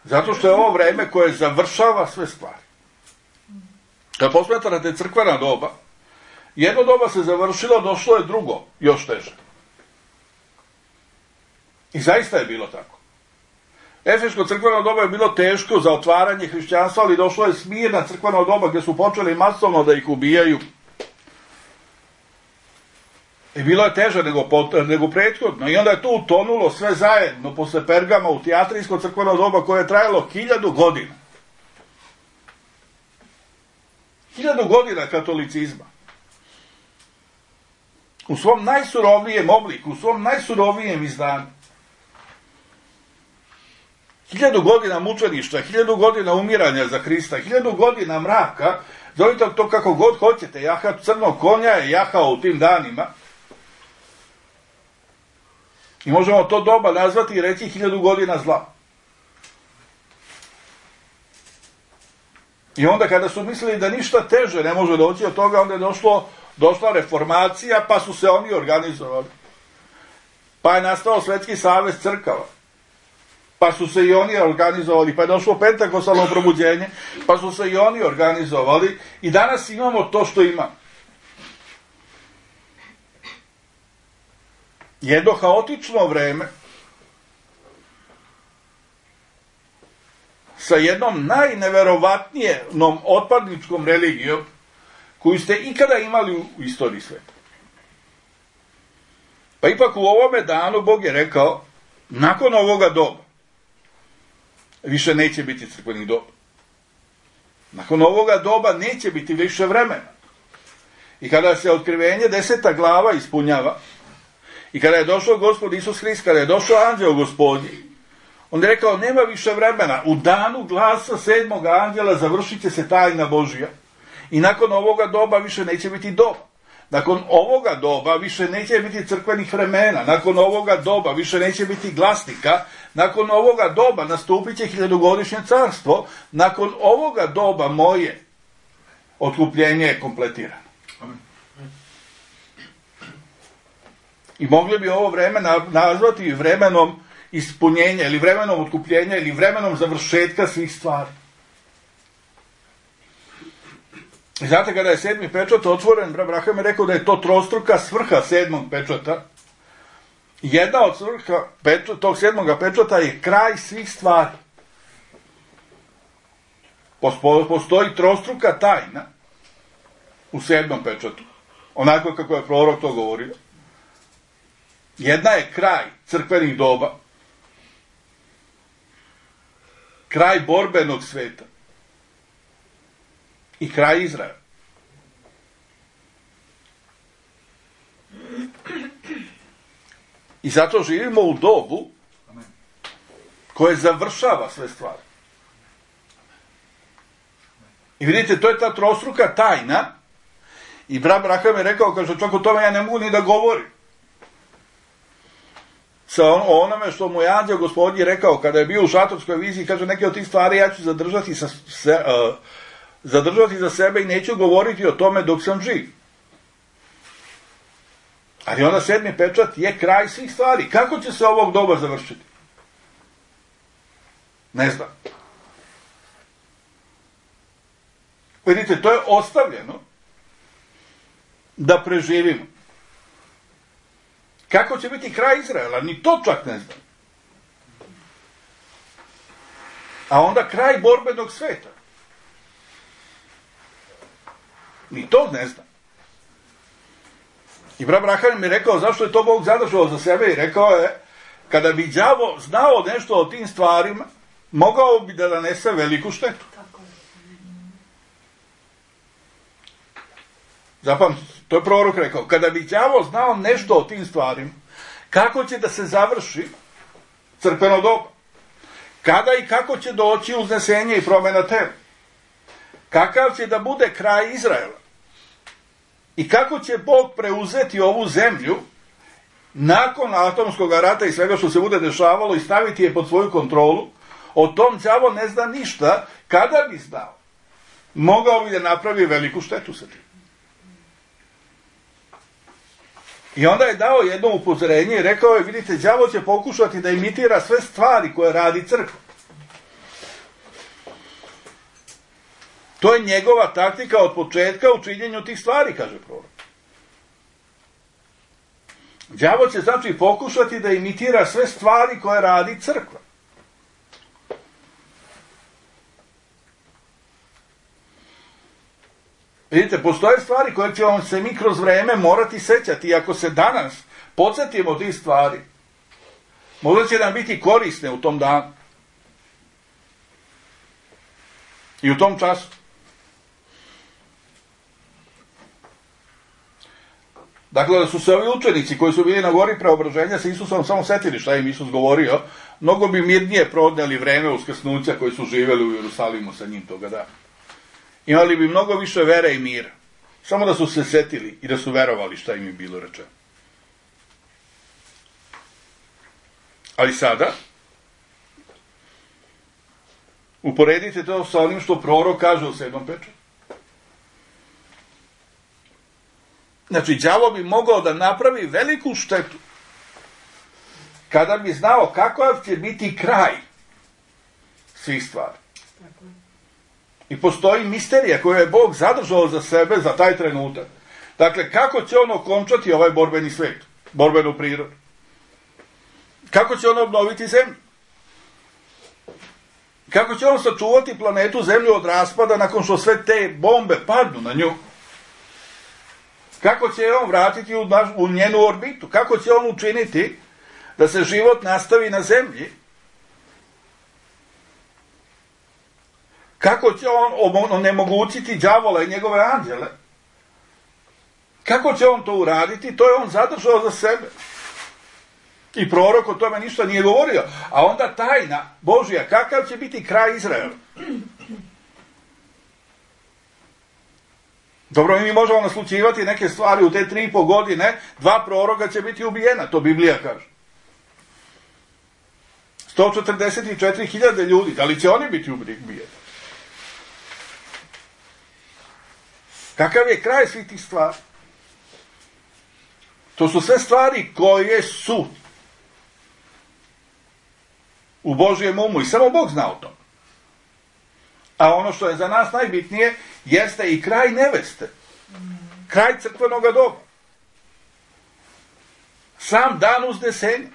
Zato što je ovo vreme koje završava sve stvari. Kad posmatrate crkvena doba, jedno doba se završilo, došlo je drugo, još teže. I zaista je bilo tako. Efeško crkveno doba je bilo teško za otvaranje hrišćanstva, ali došlo je Smirna crkveno doba gdje su počeli masovno da ih ubijaju. I bilo je teže nego prethodno. I onda je tu utonulo sve zajedno posle Pergama u Tijatrijsko crkveno doba koje je trajalo 1000 godina. 1000 godina katolicizma. U svom najsurovnijem obliku, u svom najsurovijem izdanju. 1000 godina mučeništva, 1000 godina umiranja za Hrista, 1000 godina mraka, zovite to kako god hoćete, jahat crnog konja je jahao u tim danima. I možemo to doba nazvati i reći 1000 godina zla. I onda kada su mislili da ništa teže ne može doći od toga, onda je došla reformacija, pa su se oni organizovali. Pa je nastao Svetski savez crkava. Pa su se i oni organizovali, pa je došlo pentakostalno probuđenje, pa su se i oni organizovali i danas imamo to što imamo. Jedno haotično vreme sa jednom najneverovatnijenom otpadničkom religijom koju ste ikada imali u istoriji sveta. Pa ipak u ovome danu Bog je rekao, nakon ovoga doba više neće biti crkvenih doba. Nakon ovoga doba neće biti više vremena. I kada se otkrivenje 10. glava ispunjava, i kada je došao Gospod Isus Hrist, kada je došao anđeo Gospodnji, on je rekao, nema više vremena. U danu glasa 7. anđela završit će se tajna Božja. I nakon ovoga doba više neće biti doba. Nakon ovoga doba više neće biti crkvenih vremena. Nakon ovoga doba više neće biti glasnika. Nakon ovoga doba nastupit će 1000-godišnje carstvo. Nakon ovoga doba moje otkupljenje je kompletirano. I mogli bi ovo vreme nazvati vremenom ispunjenja, ili vremenom otkupljenja, ili vremenom završetka svih stvari. I znate, kada je 7. pečat otvoren, Abraham je rekao da je to trostruka svrha 7. pečata. Jedna od svrha tog 7. pečata je kraj svih stvari. Postoji trostruka tajna u 7. pečatu, onako kako je prorok to govorio. Jedna je kraj crkvenih doba, kraj borbenog sveta i kraj Izraela. I zato živimo u dobu koje završava sve stvari. I vidite, to je ta trostruka tajna. I Abraham je rekao, kaže, čak o tome ja ne mogu ni da govorim. O onome što mu je anđeo Gospodnji rekao kada je bio u šatorskoj viziji, kaže, neke od tih stvari ja ću zadržati za sebe i neću govoriti o tome dok sam živ. Ali onda 7. pečat je kraj svih stvari. Kako će se ovog doba završiti? Ne znam. Vidite, to je ostavljeno da preživimo. Kako će biti kraj Izraela? Ni to čak ne znam. A onda kraj borbenog sveta. Ni to ne znam. I Abraham mi je rekao zašto je to Bog zadržao za sebe i rekao je, kada bi đavo znao nešto o tim stvarima, mogao bi da nanese veliku štetu. Zapamtite, to je prorok rekao, kada bi đavo znao nešto o tim stvarima, kako će da se završi crkveno doba, kada i kako će doći uznesenje i promena tela, kakav će da bude kraj Izraela i kako će Bog preuzeti ovu zemlju nakon atomskog rata i svega što se bude dešavalo i staviti je pod svoju kontrolu, o tom đavo ne zna ništa. Kada bi znao, mogao bi da napravi veliku štetu sa tim. I onda je dao jedno upozorenje i rekao je, vidite, đavo će pokušati da imitira sve stvari koje radi crkva. To je njegova taktika od početka u činjenju tih stvari, kaže prorok. Đavo će znači pokušati da imitira sve stvari koje radi crkva. Vidite, postoje stvari koje ćemo se mi kroz vreme morati sećati i ako se danas podsjetimo tih stvari, možda će nam biti korisne u tom danu i u tom času. Dakle, da su se ovi učenici koji su bili na gori preobraženja sa Isusom samo setili šta im Isus govorio, mnogo bi mirnije prodneli vreme uskrsnuća koji su živeli u Jerusalimu sa njim toga dana. Imali bi mnogo više vere i mira. Samo da su se setili i da su verovali šta im je bilo rečeno. Ali sada, uporedite to sa onim što prorok kaže u 7. pečatu. Znači, đavo bi mogao da napravi veliku štetu kada bi znao kakav će biti kraj svih stvari. I postoji misterija koju je Bog zadržao za sebe za taj trenutak. Dakle, kako će on okončati ovaj borbeni svet, borbenu prirodu? Kako će on obnoviti zemlju? Kako će on sačuvati planetu Zemlju od raspada nakon što sve te bombe padnu na nju? Kako će on vratiti u njenu orbitu? Kako će on učiniti da se život nastavi na zemlji? Kako će on onemogućiti đavola i njegove anđele? Kako će on to uraditi? To je on zadržao za sebe. I prorok o tome ništa nije govorio. A onda tajna Božja, kakav će biti kraj Izraela? Dobro, mi možemo naslućivati neke stvari u te 3,5 godine, 2 proroka će biti ubijena, to Biblija kaže. 144.000 ljudi, da li će oni biti ubijeni? Kakav je kraj svih tih stvari? To su sve stvari koje su u Božjem umu i samo Bog zna o tom. A ono što je za nas najbitnije jeste i kraj neveste. Kraj crkvenog doba. Sam dan uznesenja.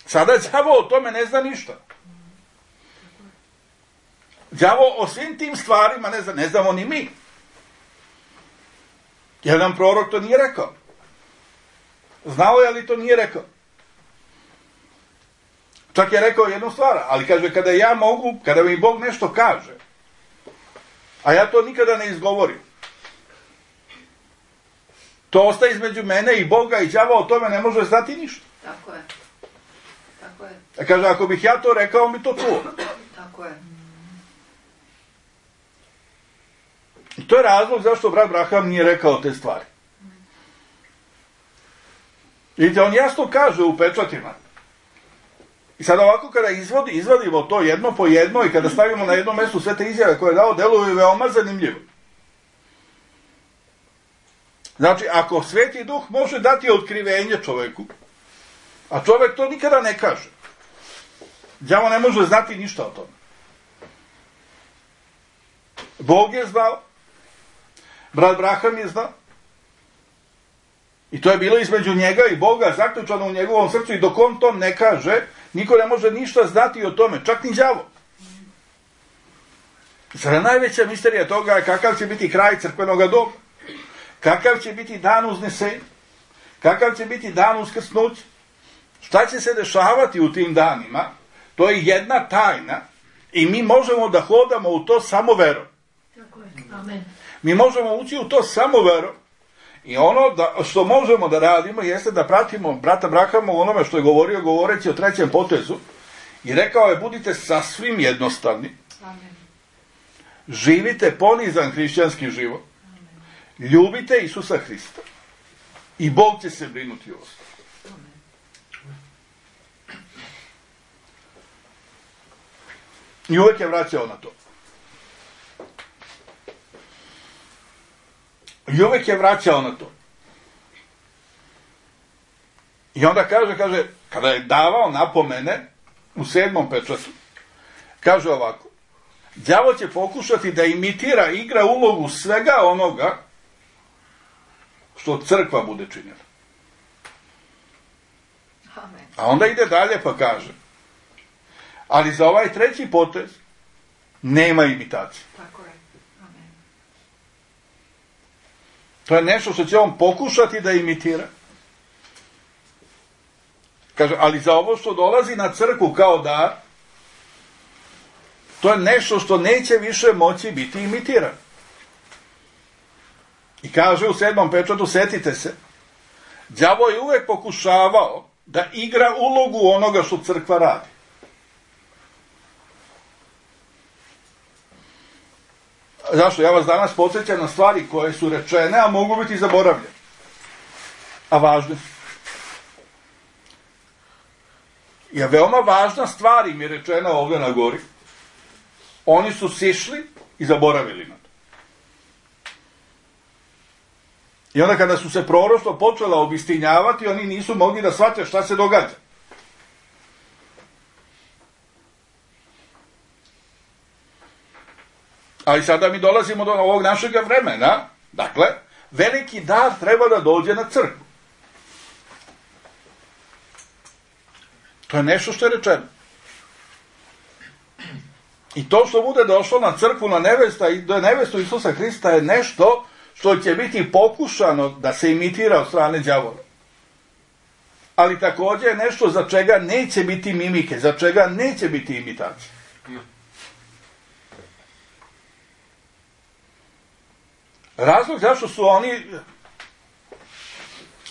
Sada đavo o tome ne zna ništa. Đavo o svim tim stvarima ne znamo ni mi. Jer nam prorok to nije rekao. Znao je, ali to nije rekao. Čak je rekao jednu stvar, ali kaže, kada ja mogu, kada mi Bog nešto kaže, a ja to nikada ne izgovorim, to ostaje između mene i Boga i đavo o tome ne može znati ništa. Tako je. Tako je. A kaže, ako bih ja to rekao, mi to čuo. Tako je. I to je razlog zašto brat Braham nije rekao te stvari. Vidite, on jasno kaže u pečatima. I sad ovako kada izvadimo to jedno po jedno i kada stavimo na jedno mjesto sve te izjave koje je dao, deluju veoma zanimljivo. Znači, ako Sveti Duh može dati otkrivenje čoveku, a čovek to nikada ne kaže, đavo ne može znati ništa o tome. Bog je znao, brat Braham je znao, i to je bilo između njega i Boga, zaključano u njegovom srcu, i dok on to ne kaže, niko ne može ništa znati o tome, čak ni đavo. Sada najveća misterija toga je kakav će biti kraj crkvenog doba, kakav će biti dan uznesenja, kakav će biti dan uskrsnuća, šta će se dešavati u tim danima, to je jedna tajna i mi možemo da hodamo u to samo verom. Tako je. Amen. Mi možemo ući u to samo verom. I ono što možemo da radimo jeste da pratimo brata Brahama u onome što je govorio, govoreći o trećem potezu, i rekao je, budite sasvim jednostavni, Amen. živite ponizan hrišćanski život, Amen. ljubite Isusa Hrista i Bog će se brinuti o vas. I uvek je vraćao na to. I uvek je vraćao na to. I onda kaže, kada je davao napomene u 7. pečatu, kaže ovako, đavo će pokušati da imitira, igra ulogu svega onoga što crkva bude činila. Amen. A onda ide dalje pa kaže, ali za ovaj treći potez nema imitacije. Tako je. Amen. To je nešto što će on pokušati da imitira. Kaže, ali za ovo što dolazi na crkvu kao dar, to je nešto što neće više moći biti imitirano. I kaže u 7. pečatu, setite se, đavo je uvek pokušavao da igra ulogu onoga što crkva radi. Zašto? Ja vas danas podsjećam na stvari koje su rečene, a mogu biti zaboravljene. A važne su. Je veoma važna stvar im je rečena ovdje na gori. Oni su sišli i zaboravili na to. I onda kada su se proroštvo počela obistinjavati, oni nisu mogli da shvate šta se događa. Ali sada mi dolazimo do ovog našeg vremena. Dakle, veliki dar treba da dođe na crkvu. To je nešto što je rečeno. I to što bude došlo na crkvu, na nevestu Isusa Hrista je nešto što će biti pokušano da se imitira od strane đavola. Ali također je nešto za čega neće biti mimike, za čega neće biti imitacije. Razlog zašto su oni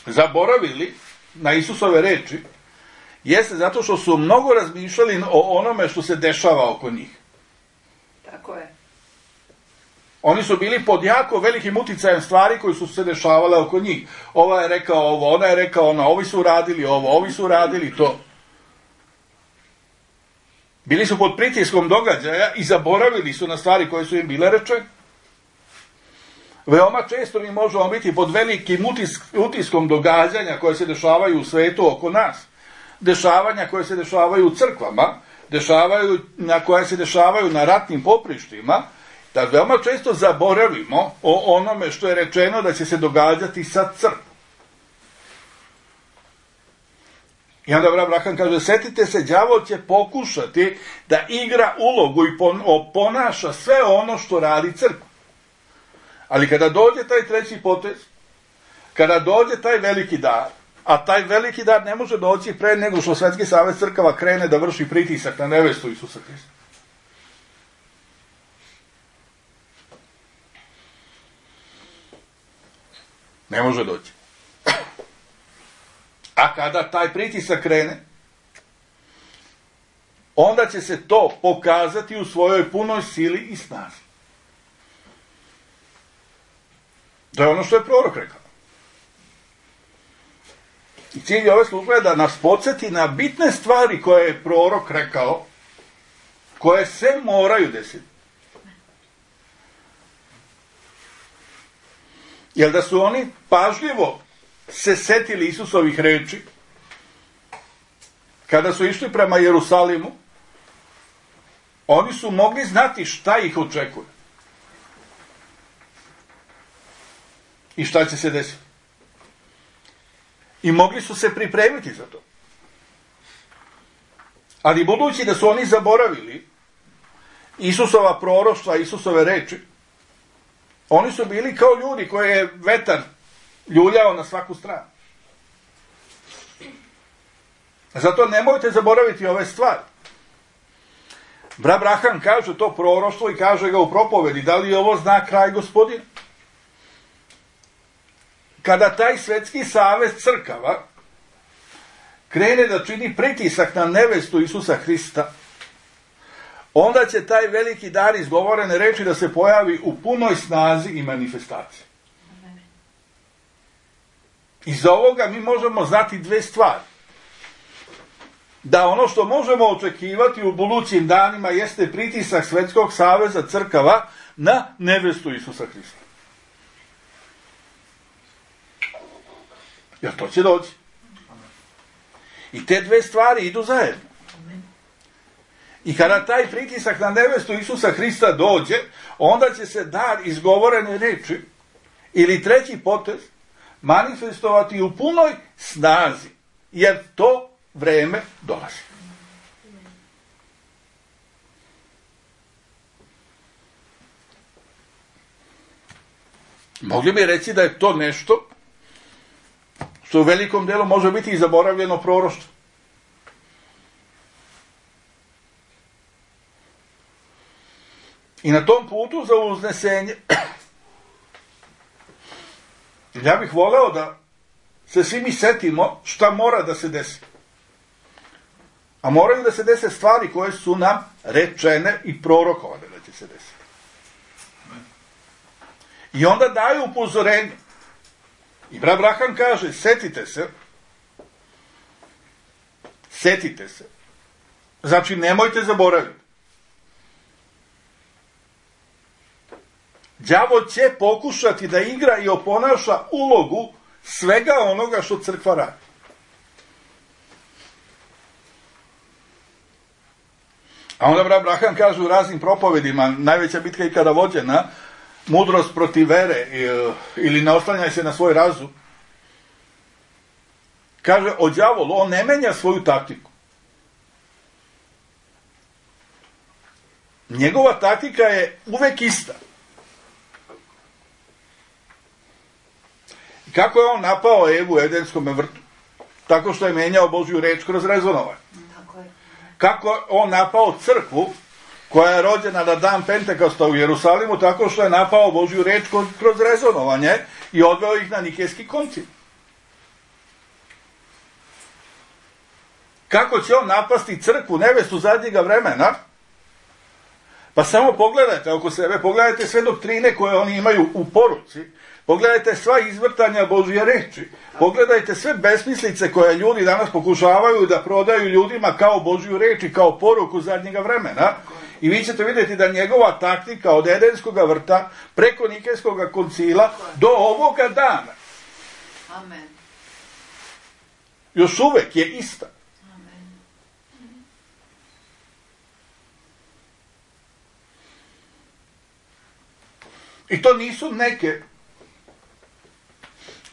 zaboravili na Isusove reči jeste zato što su mnogo razmišljali o onome što se dešava oko njih. Tako je. Oni su bili pod jako velikim uticajem stvari koji su se dešavale oko njih. Ova je rekao ovo, ona je rekao ono, ovi su radili ovo, ovi su radili to. Bili su pod pritiskom događaja i zaboravili su na stvari koje su im bile rečene. Veoma često mi možemo biti pod velikim utiskom događanja koje se dešavaju u svetu oko nas, dešavanja koje se dešavaju u crkvama, koje se dešavaju na ratnim poprištima, da veoma često zaboravimo o onome što je rečeno da će se događati sa crkvom. I onda Abraham kaže, setite se, đavol će pokušati da igra ulogu i ponaša sve ono što radi crkva. Ali kada dođe taj treći potez, kada dođe taj veliki dar, a taj veliki dar ne može doći pre nego što Svetski savez crkava krene da vrši pritisak na nevestu Isusa Hrista. Ne može doći. A kada taj pritisak krene, onda će se to pokazati u svojoj punoj sili i snazi. To je ono što je prorok rekao. I cilj ove službe je da nas podsjeti na bitne stvari koje je prorok rekao, koje se moraju desiti. Jer da su oni pažljivo se setili Isusovih reči, kada su išli prema Jerusalimu, oni su mogli znati šta ih očekuje. I šta će se desiti. I mogli su se pripremiti za to. Ali budući da su oni zaboravili Isusova proroštva, Isusove reči, oni su bili kao ljudi koje je vetar ljuljao na svaku stranu. Zato nemojte zaboraviti ove stvari. Abraham kaže to proroštvo i kaže ga u propovedi, da li je ovo znak kraj Gospodina? Kada taj Svetski savez crkava krene da čini pritisak na nevestu Isusa Hrista, onda će taj veliki dar izgovorene reči da se pojavi u punoj snazi i manifestaciji. Iz ovoga mi možemo znati dve stvari. Da ono što možemo očekivati u budućim danima jeste pritisak Svetskog saveza crkava na nevestu Isusa Hrista. Jer to će doći. I te dve stvari idu zajedno. I kada taj pritisak na nevestu Isusa Hrista dođe, onda će se dar izgovorene reči ili treći potez manifestovati u punoj snazi, jer to vreme dolazi. Mogli bi reći da je to nešto što u velikom delu može biti i zaboravljeno proroštvo. I na tom putu za uznesenje ja bih voleo da se svi mi setimo šta mora da se desi. A moraju da se dese stvari koje su nam rečene i prorokovane da će se desiti. I onda daju upozorenje. I Abraham kaže, setite se. Znači, nemojte zaboraviti. Đavo će pokušati da igra i oponaša ulogu svega onoga što crkva radi. A onda Abraham kaže u raznim propovedima, najveća bitka ikada vođena, mudrost protiv vere ili ne oslanjaj se na svoj razum. Kaže o đavolu, on ne menja svoju taktiku. Njegova taktika je uvek ista. Kako je on napao Evu u Edenskom vrtu? Tako što je menjao Božju reč kroz rezonovanje. Kako je on napao crkvu koja je rođena na dan Pentekosta u Jerusalimu, tako što je napao Božju reč kroz rezonovanje i odveo ih na Nikejski koncil. Kako će on napasti crkvu, nevestu zadnjega vremena? Pa samo pogledajte oko sebe, pogledajte sve doktrine koje oni imaju u poruci, pogledajte sva izvrtanja Božje reči, pogledajte sve besmislice koje ljudi danas pokušavaju da prodaju ljudima kao Božju reč i kao poruku zadnjega vremena I vi ćete vidjeti da njegova taktika od Edenskog vrta preko Nikejskog koncila do ovoga dana Amen. još uvek je ista. Amen. I to nisu neke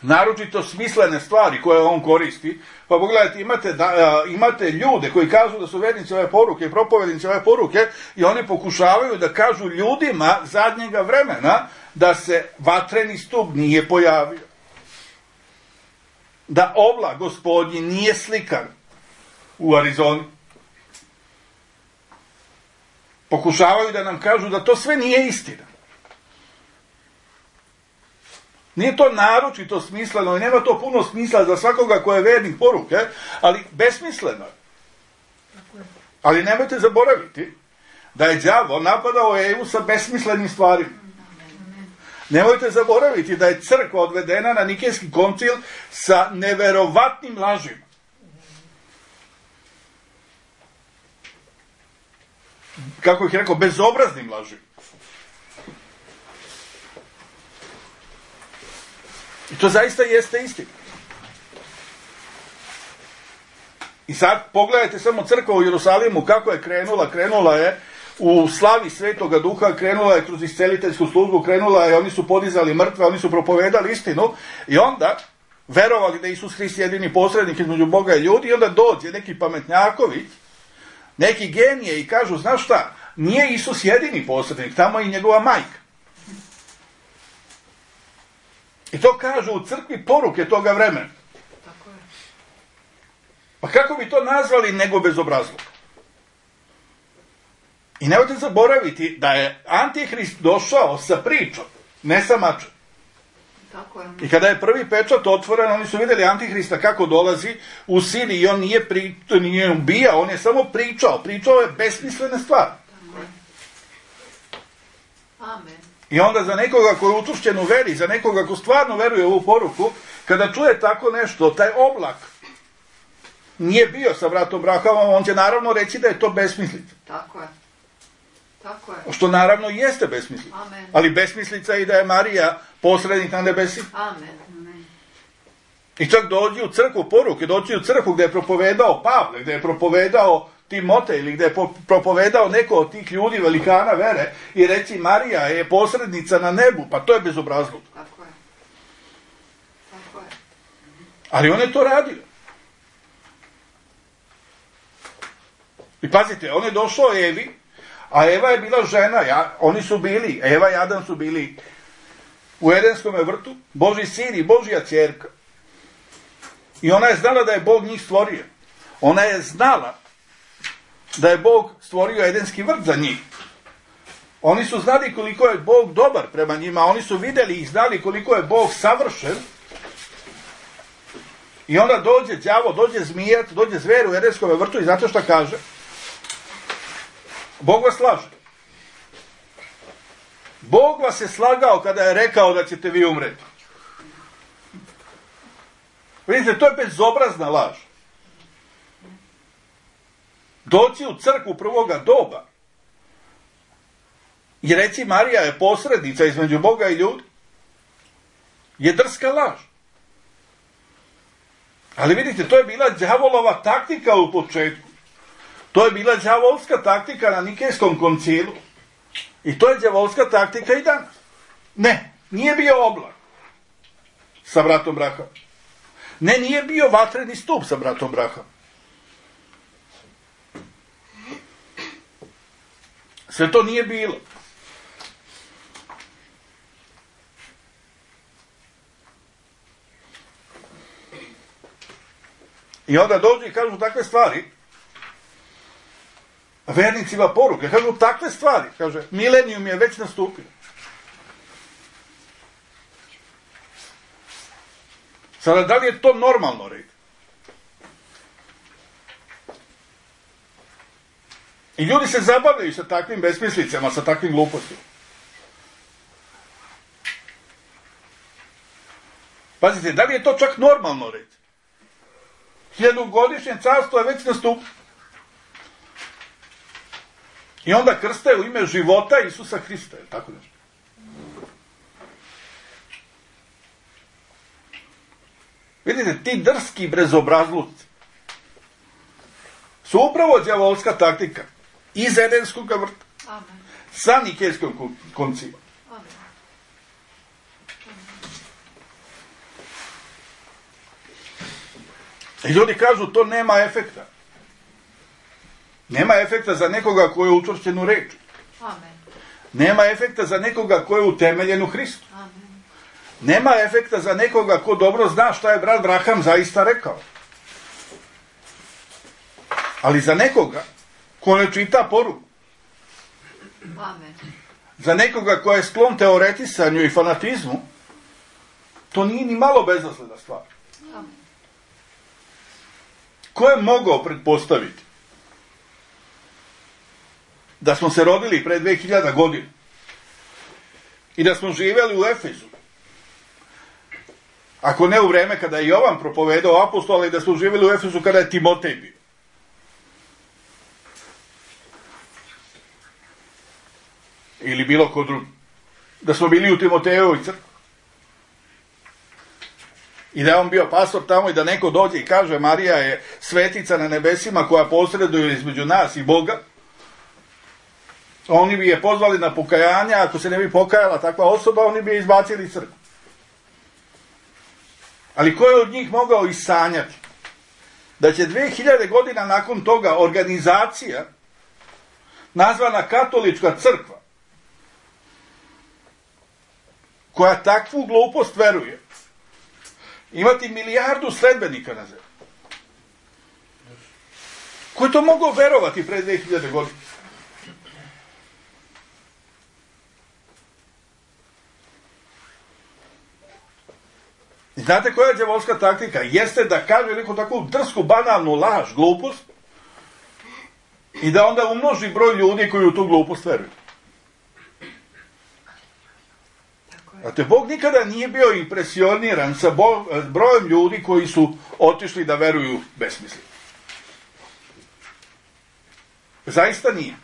naročito smislene stvari koje on koristi. Pa pogledajte, imate ljude koji kažu da su vernici ove poruke i propovednici ove poruke i oni pokušavaju da kažu ljudima zadnjega vremena da se vatreni stup nije pojavio. Da oblak gospodnji nije slikan u Arizoni. Pokušavaju da nam kažu da to sve nije istina. Nije to naročito smisleno i nema to puno smisla za svakoga ko je vernik poruke, ali besmisleno je. Ali nemojte zaboraviti da je đavo napadao Evu sa besmislenim stvarima. Nemojte zaboraviti da je crkva odvedena na Nikejski koncil sa neverovatnim lažima. Kako ih rekao, bezobraznim lažima. I to zaista jeste istina. I sad pogledajte samo crkva u Jerusalimu kako je krenula. Krenula je u slavi Svetoga Duha, krenula je kroz isceliteljsku službu, krenula je, oni su podizali mrtve, oni su propovedali istinu i onda verovali da je Isus Hrist jedini posrednik između Boga i ljudi i onda dođe neki pametnjaković, neki genije i kažu, znaš šta, nije Isus jedini posrednik, tamo je i njegova majka. I to kažu u crkvi poruke toga vremena. Tako je. Pa kako bi to nazvali nego bezobrazluk? I nemojte zaboraviti da je Antihrist došao sa pričom, ne sa mačem. Tako je. I kada je prvi pečat otvoren, oni su vidjeli Antihrista kako dolazi u sili i on nije ubijao, on je samo pričao. Pričao je besmislene stvari. Tako je. Amen. I onda za nekoga koji je utušćen u veri, za nekoga ko stvarno veruje u ovu poruku, kada čuje tako nešto, taj oblak nije bio sa bratom Brahamom, on će naravno reći da je to besmislica. Tako je. Tako je. Što naravno jeste besmislica. Amen. Ali besmislica je i da je Marija posrednik na nebesi. Amen. Amen. I čak dođi u crkvu poruke, dođi u crkvu gdje je propovedao Pavle, gdje je propovedao Timotej ili gdje je propovedao neko od tih ljudi velikana vere i reći Marija je posrednica na nebu, pa to je bezobrazluk. Tako je. Tako je. Ali on je to radio. I pazite, on je došao Evi, a Eva je bila žena, oni su bili, Eva i Adam su bili u Edenskom vrtu, Božji sin i Božja ćerka. I ona je znala da je Bog njih stvorio. Ona je znala da je Bog stvorio Edenski vrt za njih. Oni su znali koliko je Bog dobar prema njima, oni su vidjeli i znali koliko je Bog savršen. I onda dođe đavo, dođe zmijac, dođe zver u Edenskom vrtu i znate šta kaže? Bog vas laže. Bog vas je slagao kada je rekao da ćete vi umreti. Vidite, to je bezobrazna laž. Doći u crkvu prvoga doba i reći Marija je posrednica između Boga i ljudi je drska laž. Ali vidite, to je bila đavolova taktika u početku. To je bila đavolska taktika na Nikejskom koncilu. I to je đavolska taktika i danas. Ne, nije bio oblak sa bratom Brahamom. Ne, nije bio vatreni stup sa bratom Brahamom. Sve to nije bilo. I onda dođu i kažu takve stvari, vernicima poruke, kažu takve stvari, kaže, milenijum je već nastupio. Sada, da li je to normalno reći? I ljudi se zabavljaju sa takvim besmislicama, sa takvim glupostima. Pazite, da li je to čak normalno reći? 1000-godišnje carstvo je već nastupilo. I onda krste u ime života Isusa Hrista, je tako nešto? Vidite, ti drski brezobrazluci su upravo đavolska taktika iz Edenskog vrta. Amen. Sa Nikejskom koncilom. Amen. I ljudi kažu, to nema efekta. Nema efekta za nekoga ko je učvršćen u reči. Amen. Nema efekta za nekoga ko je utemeljen u Hristu. Amen. Nema efekta za nekoga ko dobro zna šta je brat Braham zaista rekao. Ali za nekoga ko ne čita poruku, Amen. za nekoga ko je sklon teoretisanju i fanatizmu, to nije ni malo bezazlena stvar. Amen. Ko je mogao pretpostaviti da smo se rodili pre 2000 godina i da smo živjeli u Efezu, ako ne u vreme kada je Jovan propovedao apostola, i da smo živjeli u Efezu kada je Timotej bio. Ili bilo ko drugi. Da smo bili u Timotejevoj crkvi. I da je on bio pastor tamo i da neko dođe i kaže Marija je svetica na nebesima koja posreduje između nas i Boga. Oni bi je pozvali na pokajanje, ako se ne bi pokajala takva osoba, oni bi je izbacili iz crkve. Ali ko je od njih mogao isanjati da će 2000 godina nakon toga organizacija nazvana Katolička crkva, koja takvu glupost veruje, imati 1 milijardu sledbenika na zemlji? Ko je to mogao verovati pre 2000 godina? I znate koja je đavolska taktika? Jeste da kaže neku takvu drsku, banalnu laž, glupost, i da onda umnoži broj ljudi koji u tu glupost veruju. Znate, Bog nikada nije bio impresioniran sa brojem ljudi koji su otišli da veruju besmisleno. Zaista nije.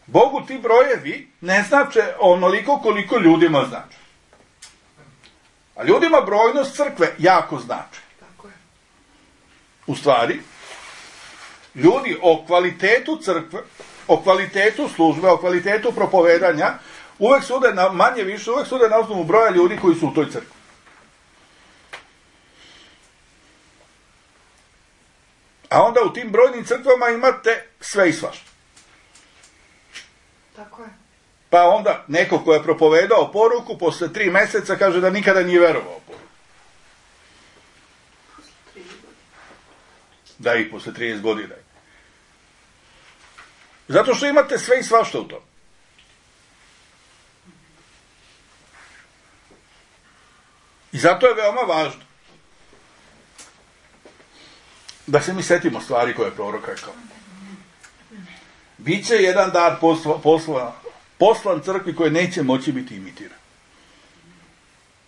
Bogu ti brojevi ne znače onoliko koliko ljudima znače. A ljudima brojnost crkve jako znači. Tako je. U stvari, ljudi o kvalitetu crkve, o kvalitetu službe, o kvalitetu propovedanja, uvek sude na, manje više, uvek sude na osnovu broja ljudi koji su u toj crkvi. A onda u tim brojnim crkvama imate sve i svašta. Tako je. Pa onda neko ko je propovedao poruku, posle 3 meseca kaže da nikada nije verovao poruku. Da, i posle 30 godina. Zato što imate sve i svašta u tom. I zato je veoma važno da se mi setimo stvari koje je prorok rekao. Biće jedan dar poslan crkvi koje neće moći biti imitiran.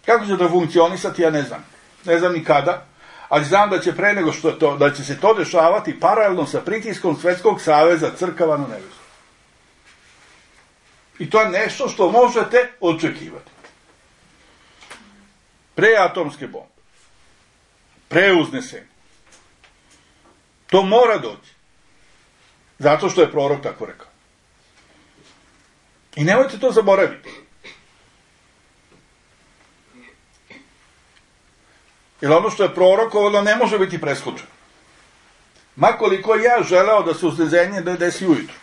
Kako će to funkcionisati, ja ne znam. Ne znam ni kada, ali znam da će pre nego što to, da će se to dešavati paralelno sa pritiskom Svetskog saveza crkava na nebesu. I to je nešto što možete očekivati. Pre atomske bombe, pre uznesenja. To mora doći. Zato što je prorok tako rekao. I nemojte to zaboraviti. Jer ono što je prorokovano ne može biti preskočeno. Makoliko ja želeo da se uznesenje desi ujutru.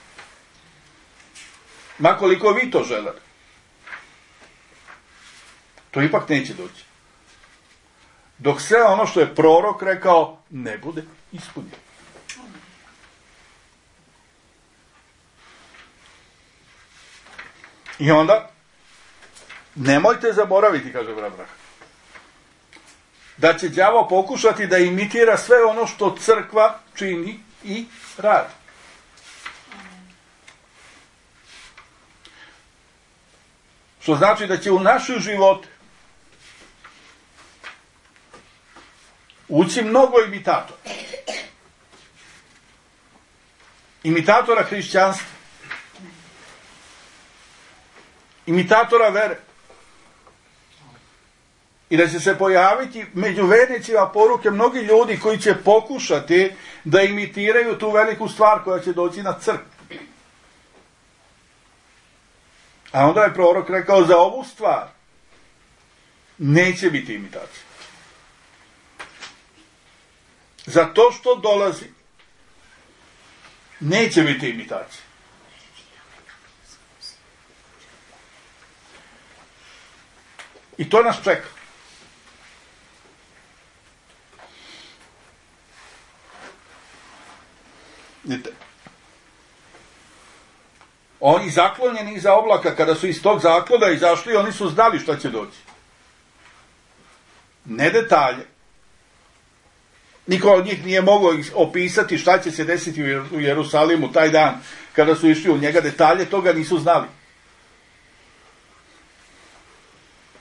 Makoliko vi to želeli. To ipak neće doći. Dok sve ono što je prorok rekao ne bude ispunjeno. I onda, nemojte zaboraviti, kaže Abraham, da će đavo pokušati da imitira sve ono što crkva čini i radi. Što znači da će u naše živote ući mnogo imitatora. imitatora hrišćanstva, imitatora vere. I da će se pojaviti među vernicima poruke mnogi ljudi koji će pokušati da imitiraju tu veliku stvar koja će doći na crkvu. A onda je prorok rekao, za ovu stvar neće biti imitacija. Za to što dolazi neće biti imitacija. I to nas čeka. Vidite, oni zaklonjeni iza oblaka, kada su iz tog zaklona izašli, oni su znali šta će doći. Ne detalje. Niko od njih nije mogao opisati šta će se desiti u Jerusalimu taj dan kada su išli u njega. Detalje toga nisu znali.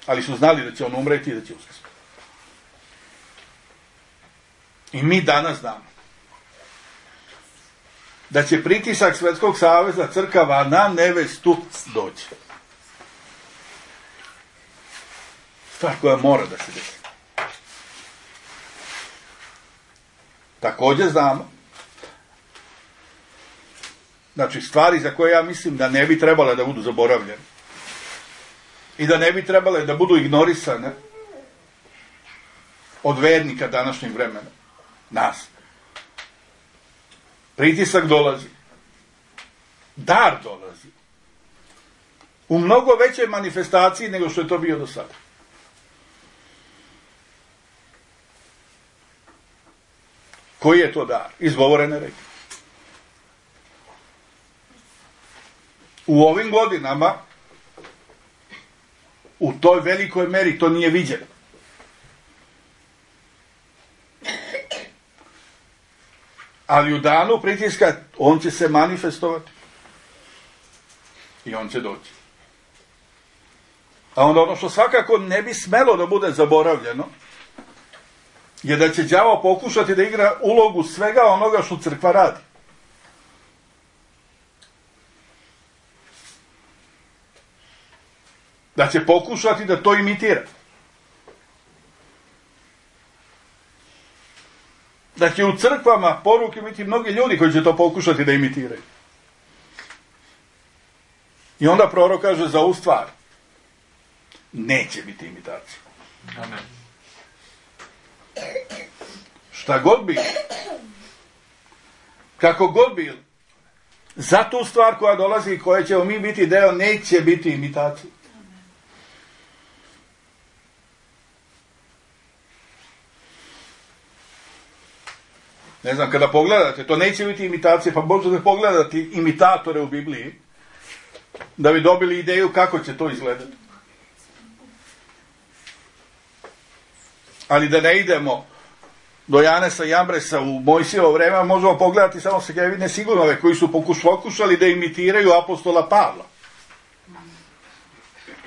Ali su znali da će on umreti i da će uskrsnuti. I mi danas znamo da će pritisak Svetskog saveza crkava na nevestu doći. Stvar koja mora da se desi. Također znamo, znači stvari za koje ja mislim da ne bi trebale da budu zaboravljene i da ne bi trebale da budu ignorisane od vernika današnjeg vremena, nas. Pritisak dolazi. Dar dolazi. U mnogo većoj manifestaciji nego što je to bio do sada. Koji je to dar? Izgovorene reči. U ovim godinama u toj velikoj meri to nije viđeno. Ali u danu pritiska on će se manifestovati. I on će doći. A onda ono što svakako ne bi smelo da bude zaboravljeno, je da će đavo pokušati da igra ulogu svega onoga što crkva radi. Da će pokušati da to imitira. Da će u crkvama poruke biti mnogi ljudi koji će to pokušati da imitiraju. I onda prorok kaže za ovu stvar neće biti imitacija. Amen. Šta god bilo, kako god bilo, za tu stvar koja dolazi i koje ćemo mi biti deo, neće biti imitacija. Ne znam, kada pogledate, to neće biti imitacija, pa možete pogledati imitatore u Bibliji, da bi dobili ideju kako će to izgledati. Ali da ne idemo do Janesa i Jambresa u Mojsijevo vreme, možemo pogledati samo Segevine Sigunove, koji su pokušali da imitiraju apostola Pavla.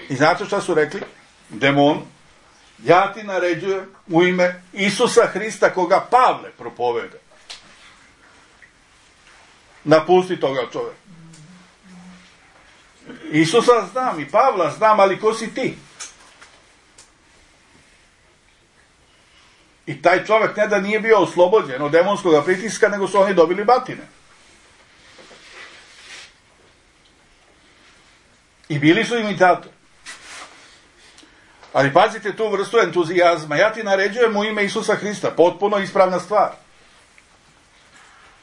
I znate šta su rekli? Demon, ja ti naređujem u ime Isusa Hrista koga Pavle propoveda. Napusti toga čovjeka. Isusa znam i Pavla znam, ali ko si ti? I taj čovjek ne da nije bio oslobođen od demonskog pritiska, nego su oni dobili batine. I bili su imitatori. Ali pazite tu vrstu entuzijazma. Ja ti naređujem u ime Isusa Hrista. Potpuno ispravna stvar.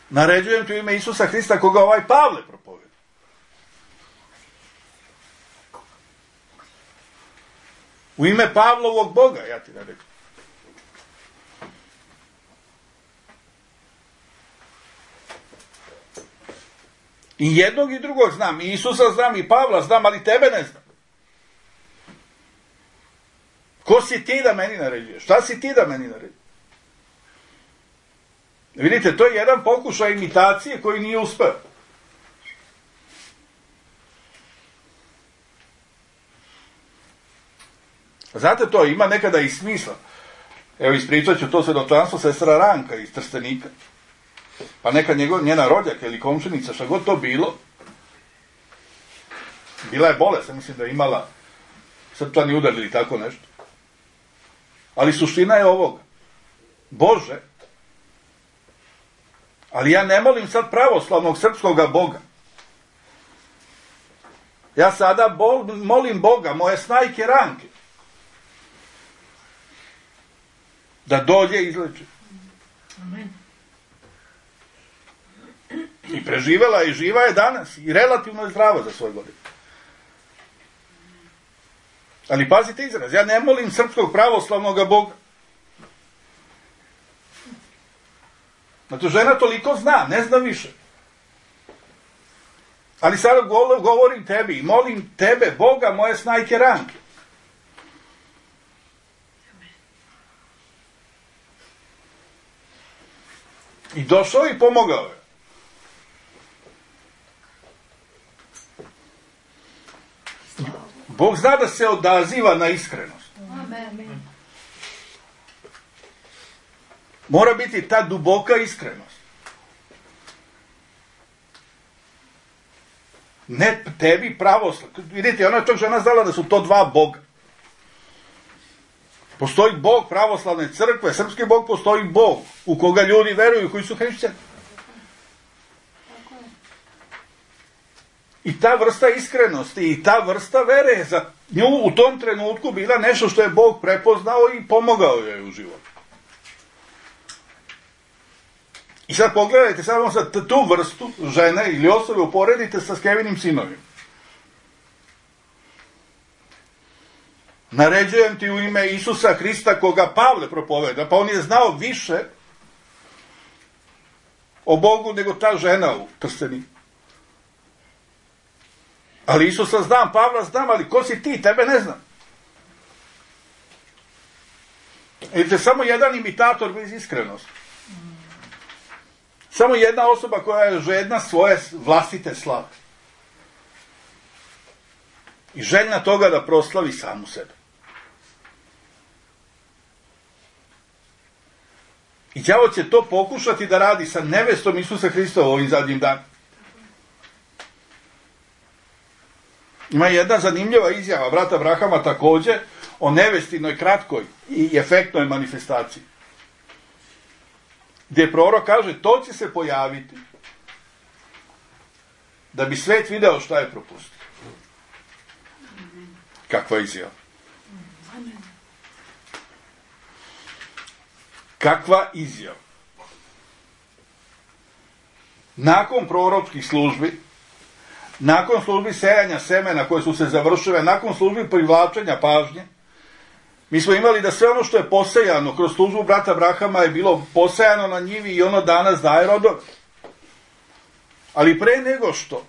Naređujem ti u ime Isusa Hrista koga ovaj Pavle propoveda. U ime Pavlovog Boga ja ti naređujem. I jednog i drugog znam. I Isusa znam i Pavla znam, ali tebe ne znam. Ko si ti da meni naređuješ? Šta si ti da meni naređuješ? Vidite, to je jedan pokušaj imitacije koji nije uspeo. Znate, to ima nekada i smisla. Evo, ispričat ću to svedočanstvo sestra Ranka iz Trstenika. pa neka njena rođaka ili komšinica, šta god to bilo, bila je bolest, mislim da je imala srčani udar ili tako nešto. Ali suština je ovoga. Bože, ali ja ne molim sad pravoslavnog srpskoga Boga. Ja sada molim Boga, moje snajke ranke, da dođe i izleči. Amen. I preživela i živa je danas i relativno je zdrava za svoj godine. Ali pazite izraz, ja ne molim srpskog pravoslavnog Boga. Znači, žena toliko zna, ne zna više. Ali sada govorim tebi i molim tebe, Boga, moje snajke ranke. I došao i pomogao je. Bog zna da se odaziva na iskrenost. Amen. Mora biti ta duboka iskrenost. Ne tebi pravoslav. Vidite, ona je tog žena znala da su to dva Boga. Postoji Bog pravoslavne crkve, srpski Bog, postoji Bog u koga ljudi veruju, koji su hrišćani. I ta vrsta iskrenosti i ta vrsta vere je za nju u tom trenutku bila nešto što je Bog prepoznao i pomogao joj u životu. I sad pogledajte samo sad tu vrstu žene ili osobe uporedite sa Skevinim sinovima. Naređujem ti u ime Isusa Hrista koga Pavle propoveda, pa on je znao više o Bogu nego ta žena u Trsteniku. Ali Isusa znam, Pavla znam, ali ko si ti? Tebe ne znam. Vidite, samo jedan imitator bez iskrenosti. Samo jedna osoba koja je žedna svoje vlastite slave. I željna toga da proslavi samu sebe. I đavo će to pokušati da radi sa nevestom Isusa Hrista u ovim zadnjim danima. Ima jedna zanimljiva izjava brata Abrahama također o nevestinoj kratkoj i efektnoj manifestaciji. Gdje prorok kaže, to će se pojaviti da bi svet video šta je propustio. Kakva izjava? Kakva izjava? Nakon proročkih službi, nakon službi sejanja semena koje su se završile, nakon službi privlačenja pažnje, mi smo imali da sve ono što je posejano kroz službu brata Abrahama je bilo posejano na njivi i ono danas daje rodove. Ali pre nego što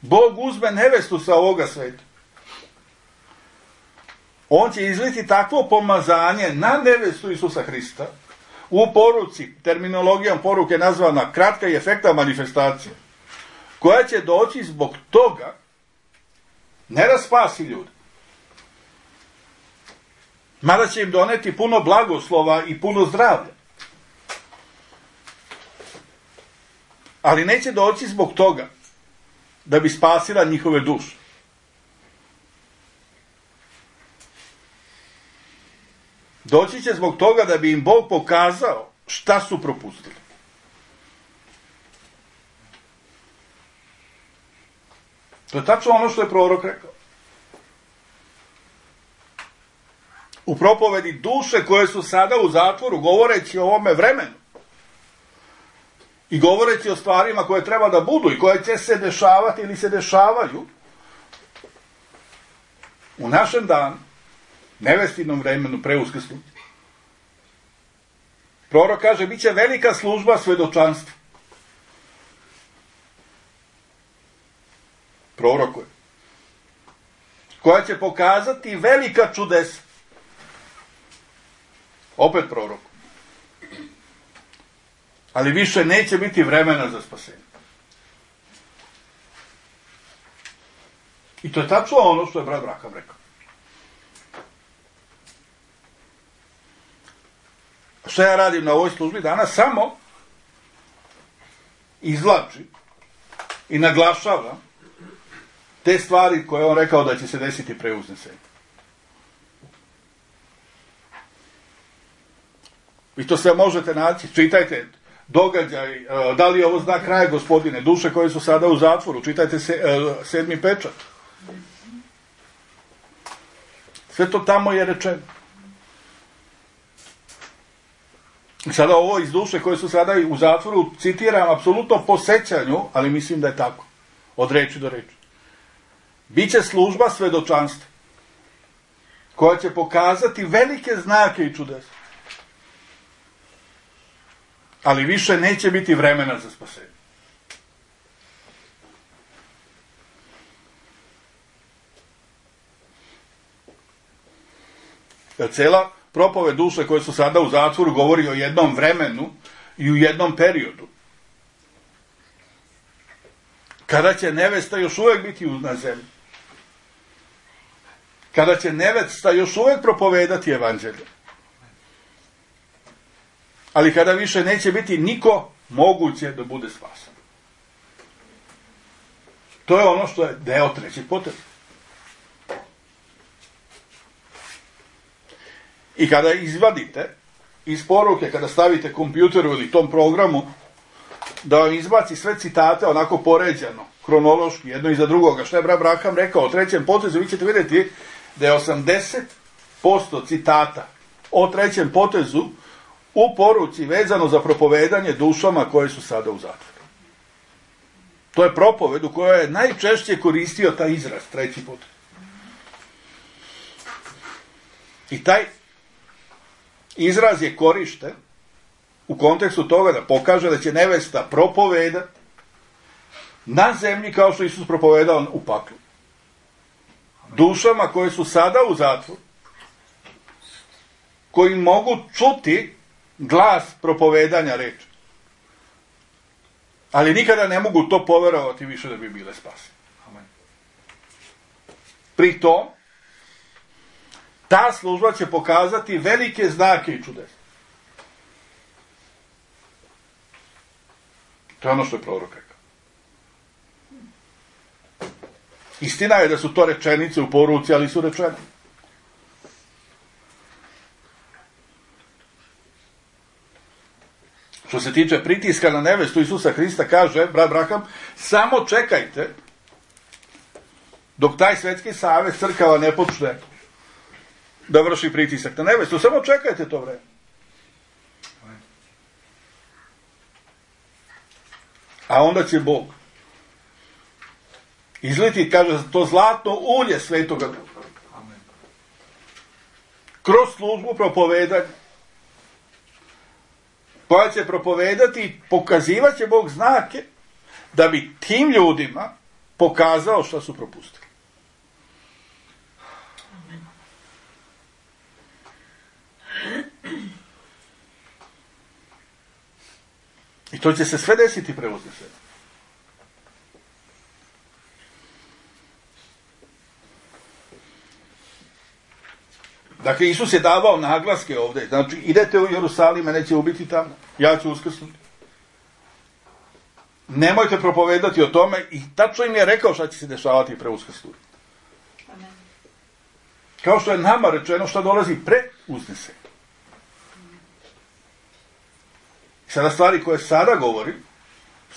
Bog uzme nevestu sa ovoga sveta, on će izliti takvo pomazanje na nevestu Isusa Hrista u poruci, terminologijom poruke nazvana kratka i efekta manifestacija, koja će doći zbog toga ne da spasi ljudi, mada će im doneti puno blagoslova i puno zdravlja. Ali neće doći zbog toga da bi spasila njihove duše. Doći će zbog toga da bi im Bog pokazao šta su propustili. To je tačno ono što je prorok rekao. U propovedi duše koje su sada u zatvoru, govoreći o ovome vremenu i govoreći o stvarima koje treba da budu i koje će se dešavati ili se dešavaju u našem danu, nevestinom vremenu pre uskrsnuća. Prorok kaže, bit će velika služba svedočanstva. Prorokuje. Koja će pokazati velika čudesa. Opet prorok. Ali više neće biti vremena za spasenje. I to je tačno ono što je brat Abraham rekao. što ja radim na ovoj službi danas, samo izvlači i naglašava te stvari koje on rekao da će se desiti pre uznesenja. Vi to sve možete naći, čitajte događaj, da li je ovo znak kraja, gospodine, duše koje su sada u zatvoru, čitajte 7. pečat. Sve to tamo je rečeno. Sada ovo iz duše koje su sada u zatvoru citiram apsolutno po sećanju, ali mislim da je tako. Od reči do reči. Biće služba svedočanstva koja će pokazati velike znake i čudesa. Ali više neće biti vremena za spasenje. Cela propoved duše koje su sada u zatvoru govori o jednom vremenu i u jednom periodu. Kada će nevesta još uvijek biti na zemlji. Kada će nevesta još uvijek propovedati evanđelje. Ali kada više neće biti niko moguće da bude spasan. To je ono što je deo trećeg poteza. I kada izvadite iz poruke, kada stavite kompjuteru ili tom programu, da vam izbaci sve citate onako poređano, hronološki, jedno iza drugoga, što je brat Braham rekao o trećem potezu, vi ćete vidjeti da je 80% citata o trećem potezu u poruci vezano za propovedanje dušama koje su sada u zatvoru. To je propoved u kojoj je najčešće koristio taj izraz, treći potez. I taj izraz je korišten u kontekstu toga da pokaže da će nevesta propovedati na zemlji kao što Isus propovedao u paklu. Dušama koje su sada u zatvoru, koji mogu čuti glas propovedanja reči. Ali nikada ne mogu to poverovati više da bi bile spasene. Pri tom, ta služba će pokazati velike znake i čudesa. To je ono što je prorok rekao. Istina je da su to rečenice u poruci, ali su rečene. Što se tiče pritiska na nevestu Isusa Hrista, kaže brat Braham, samo čekajte dok taj svetski savez crkava ne počne da vrši pritisak na nevestu. Samo čekajte to vreme. A onda će Bog izliti, kaže, to zlatno ulje Svetoga Duha. Kroz službu propovedanja, koja će propovedati i pokazivat će Bog znake da bi tim ljudima pokazao šta su propustili. I to će se sve desiti pre uznesenja. Dakle, Isus je davao naglaske ovdje. Znači, idete u Jerusalim, mene će ubiti tamo. Ja ću uskrsnuti. Nemojte propovedati o tome. I tačno im je rekao šta će se dešavati pre uskrsnuti. Kao što je nama rečeno šta dolazi pre uznesenja. Sada stvari koje sada govori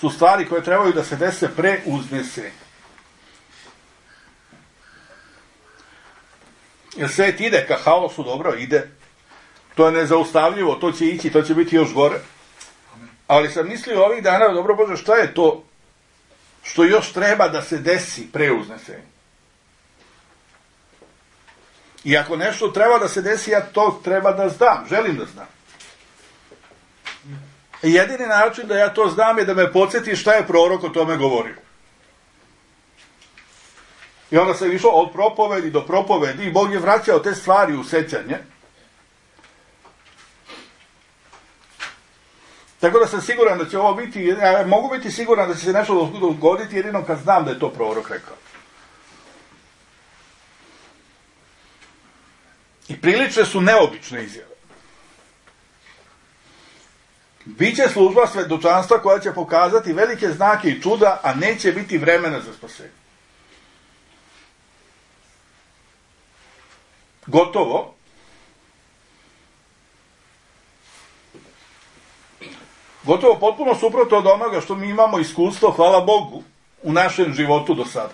su stvari koje trebaju da se dese pre uznesenja. Jer svet ide ka haosu, dobro, ide. To je nezaustavljivo, to će ići, to će biti još gore. Ali sam mislio ovih dana, dobro Bože, šta je to što još treba da se desi pre uznesenja? I ako nešto treba da se desi, ja to treba da znam, želim da znam. I jedini način da ja to znam je da me podsjeti šta je prorok o tome govorio. I onda sam išao od propovedi do propovedi i Bog je vraćao te stvari u sećanje. Tako da sam siguran da će ovo biti, ja mogu biti siguran da će se nešto dogoditi jedino kad znam da je to prorok rekao. I prilične su neobične izjave. Biće služba svedočanstva koja će pokazati velike znake i čuda, a neće biti vremena za spasenje. Gotovo. Gotovo potpuno suprotno od onoga što mi imamo iskustvo, hvala Bogu, u našem životu do sada.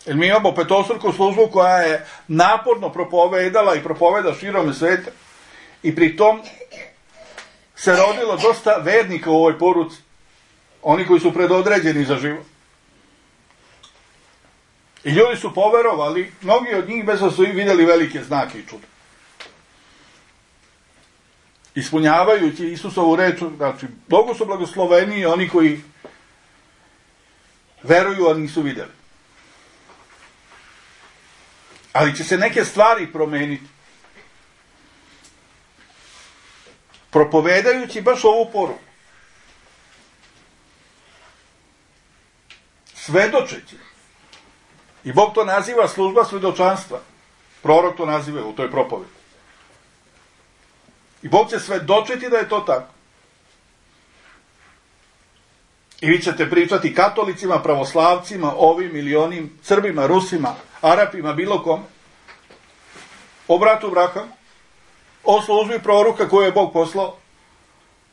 Jer mi imamo petostruku službu koja je naporno propovedala i propoveda širom sveta i pri tom se rodilo dosta vernika u ovoj poruci. Oni koji su predodređeni za život. I ljudi su poverovali, mnogi od njih bez da su vidjeli velike znake i čuda. Ispunjavajući Isusovu reč, znači, mnogo su blagosloveni oni koji veruju, a nisu vidjeli. Ali će se neke stvari promeniti. Propovedajući baš ovu poruku. Svedočeći. I Bog to naziva služba svedočanstva. Prorok to naziva u toj propovedi. I Bog će svedočiti da je to tako. I vi ćete pričati katolicima, pravoslavcima, ovim ili onim, Srbima, Rusima, Arapima, bilo kome. O bratu Brahamu. O službi proroka koju je Bog poslao.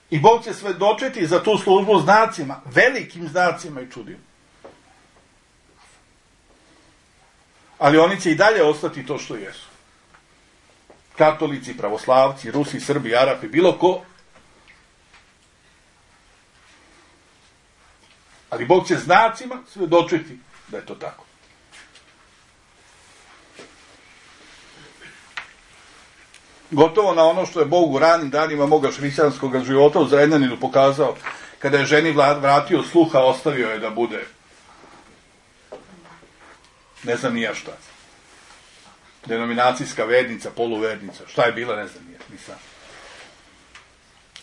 I Bog će svedočiti za tu službu znacima, velikim znacima i čudima. Ali oni će i dalje ostati to što jesu. Katolici, pravoslavci, Rusi, Srbi, Arapi, bilo ko. Ali Bog će znacima svedočiti da je to tako. Gotovo na ono što je Bog u ranim danima moga hrišćanskog života u Zrenjaninu pokazao, kada je ženi vratio sluha, ostavio je da bude ne znam nija šta. Denominacijska vernica, poluvernica, šta je bila, ne znam nija, nisam.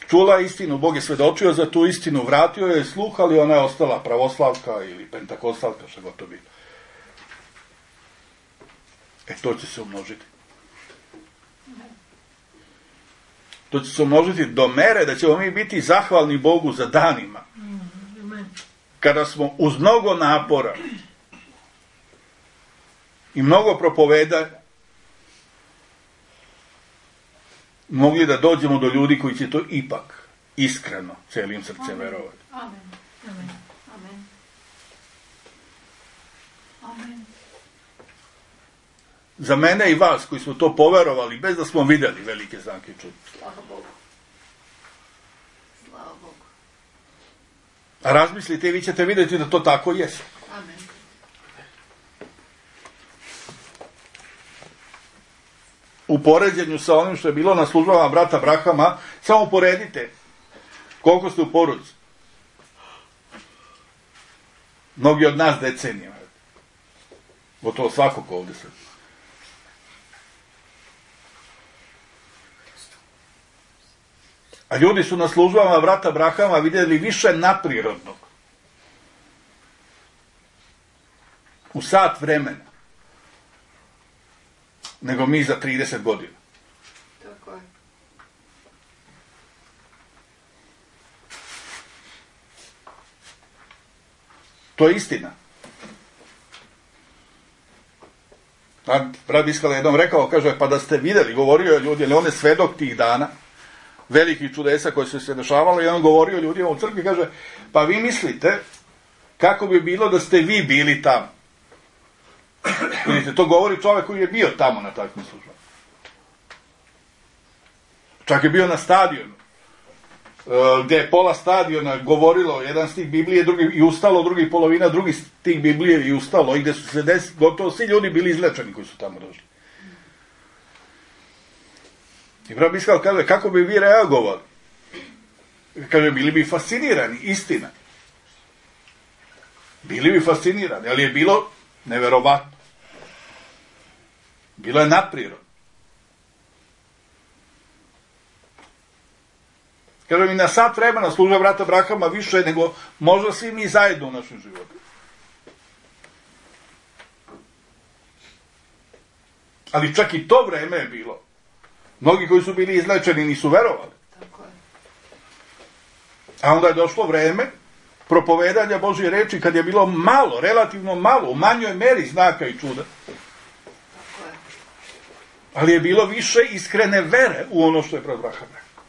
Čula istinu, Bog je svedočio za tu istinu, vratio je sluh, ali ona je ostala pravoslavka ili pentakostalka, šta god to bilo. To će se umnožiti. To će se umnožiti do mere da ćemo mi biti zahvalni Bogu za danima. Kada smo uz mnogo napora i mnogo propovedanja mogli da dođemo do ljudi koji će to ipak iskreno celim srcem verovati. Amen. Amen. Amen. Amen. Za mene i vas koji smo to poverovali bez da smo vidjeli velike znake i čuda. Slava Bogu. Slava Bogu. A razmislite i vi ćete vidjeti da to tako jeste. Amen. U poređenju sa onim što je bilo na službama brata Brahama, samo poredite koliko ste u poruci. Mnogi od nas decenijama. Gotovo svakog ovdje se. A ljudi su na službama brata Brahama vidjeli više naprirodnog. U sat vremena. Nego mi za 30 godina. Tako je. To je istina. Brat Biskala jednom rekao, kaže, pa da ste vidjeli, govorio je ljudi, ali on je svedok tih dana, velikih čudesa koji su se dešavali, i on govorio ljudima u crkvi, kaže, pa vi mislite kako bi bilo da ste vi bili tamo. Vidite, to govori čovjek koji je bio tamo na takvim službama. Čak je bio na stadionu, gdje je pola stadiona govorilo jedan stih Biblije, drugi i ustalo, drugi polovina, drugi stih Biblije i ustalo, i gdje su se gotovo svi ljudi bili izlečeni koji su tamo došli. I brat Biskal kaže, kako bi vi reagovali? Kaže, bili bi fascinirani, istina. Bili bi fascinirani, ali je bilo neverovatno. Bilo je naprirodno. Kaže mi, na sat vremena služba brata Brahama više nego možda svi mi zajedno u našem životu. Ali čak i to vreme je bilo Mnogi koji su bili izlečeni nisu verovali. Tako je. A onda je došlo vreme propovedanja Božje reči kad je bilo malo, relativno malo, u manjoj meri znaka i čuda. Tako je. Ali je bilo više iskrene vere u ono što je brat Braham rekao.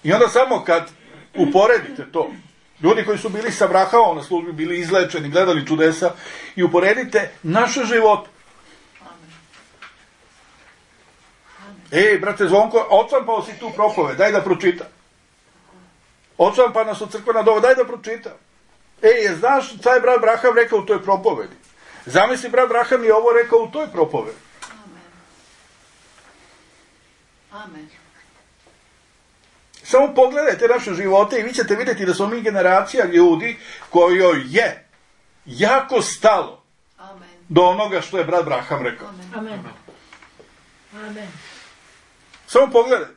I onda samo kad uporedite to, ljudi koji su bili sa Brahamom na službi, bili izlečeni, gledali čudesa, i uporedite naše živote. Ej, brate Zvonko, odštampao si tu propoved, daj da pročita. Odštampao nas od crkvena dova, daj da pročita. Ej, znaš šta je brat Braham rekao u toj propovedi? Zamisli, brat Braham je ovo rekao u toj propovedi. Amen. Amen. Samo pogledajte naše živote i vi ćete vidjeti da smo mi generacija ljudi kojoj je jako stalo Amen. do onoga što je brat Braham rekao. Amen. Amen. Amen. Samo pogledajte.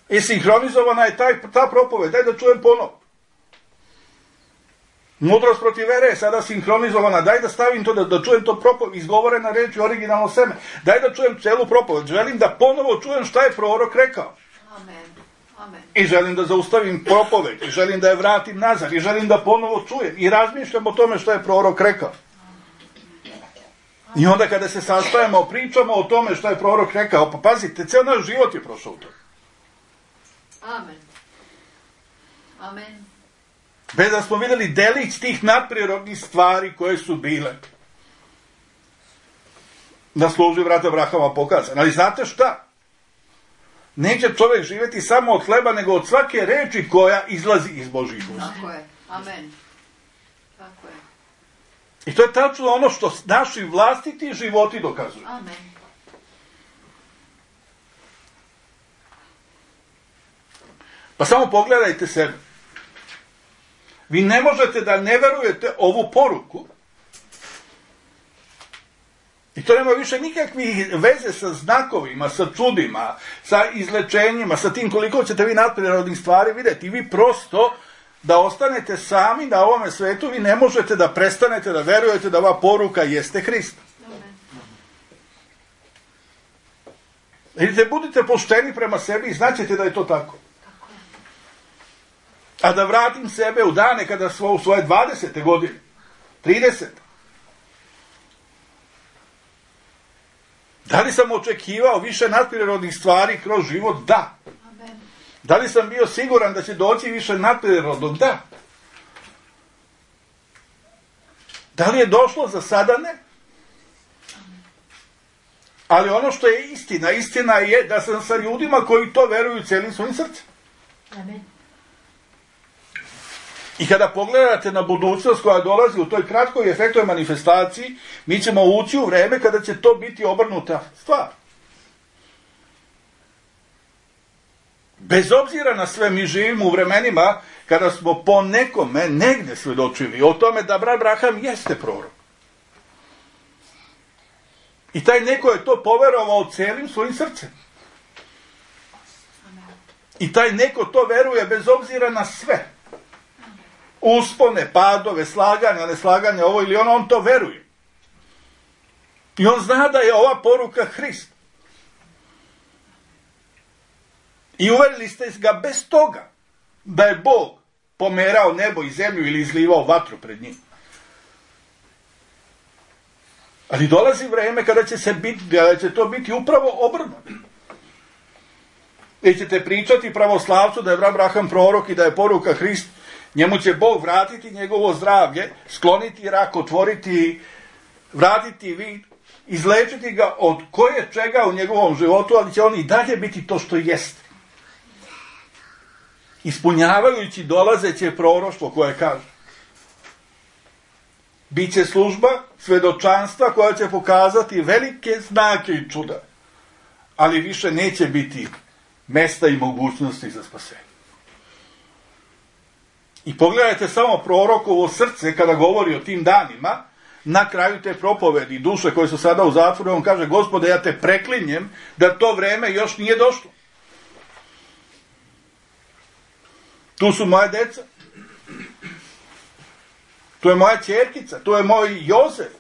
I sinhronizovana je ta propoved. Daj da čujem ponovo. Mudrost protiv vere je sada sinhronizovana. Daj da stavim to, da čujem to propoved. Izgovorena reč i originalno seme. Daj da čujem celu propoved. Želim da ponovo čujem šta je prorok rekao. Amen. Amen. I želim da zaustavim propoved. I želim da je vratim nazad. I želim da ponovo čujem. I razmišljam o tome šta je prorok rekao. I onda kada se sastajemo, pričamo o tome što je prorok rekao, pa pazite, ceo naš život je prošao u to. Amen. Amen. Bez da smo vidjeli delić tih nadprirodnih stvari koje su bile na službi brata Brahama pokazan. Ali znate šta? Neće čovjek živjeti samo od hleba, nego od svake reči koja izlazi iz Božjih usta. Tako je. Amen. Tako je. I to je tačno ono što naši vlastiti životi dokazuju. Amen. Pa samo pogledajte sebe. Vi ne možete da ne verujete ovu poruku. I to nema više nikakvih veze sa znakovima, sa čudima, sa izlečenjima, sa tim koliko ćete vi nadprirodnih stvari vidjeti. I vi prosto da ostanete sami na ovome svetu, vi ne možete da prestanete da verujete da ova poruka jeste Hrist. Amen. Vidite, budite pošteni prema sebi i znaćete da je to tako. Tako je. A da vratim sebe u dane kada smo u svoje 20. godine, 30. Da li sam očekivao više nadprirodnih stvari kroz život? Da. Amen. Da li sam bio siguran da će doći više nadprirodnog? Da. Da li je došlo? Za sada ne. Ali ono što je istina, istina je da sam sa ljudima koji to veruju celim svojim srcem. Amen. I kada pogledate na budućnost koja dolazi u toj kratkoj efektoj manifestaciji, mi ćemo ući u vreme kada će to biti obrnuta stvar. Bez obzira na sve, mi živimo u vremenima kada smo po nekome negde svedočili o tome da brat Braham jeste prorok. I taj neko je to poverovao celim svojim srcem. I taj neko to veruje bez obzira na sve. Uspone, padove, slaganja, neslaganja, ovo ili ono, on to veruje. I on zna da je ova poruka Hrist. I uverili ste ga bez toga da je Bog pomerao nebo i zemlju ili izlivao vatru pred njim. Ali dolazi vreme kada će to biti upravo obrnuto. Vi ćete pričati pravoslavcu da je brat Braham prorok i da je poruka Hrist. Njemu će Bog vratiti njegovo zdravlje, skloniti rak, otvoriti, vratiti vid, izlečiti ga od koje čega u njegovom životu, ali će on i dalje biti to što jeste. Ispunjavajući dolazeće proroštvo koje kaže. Biće služba svedočanstva koja će pokazati velike znake i čuda, ali više neće biti mesta i mogućnosti za spasenje. I pogledajte samo prorokovo srce kada govori o tim danima, na kraju te propovedi duše koje su sada u zatvoru, on kaže: Gospode, ja te preklinjem da to vreme još nije došlo. Tu su moje deca. Tu je moja ćerkica, tu je moj Jozef.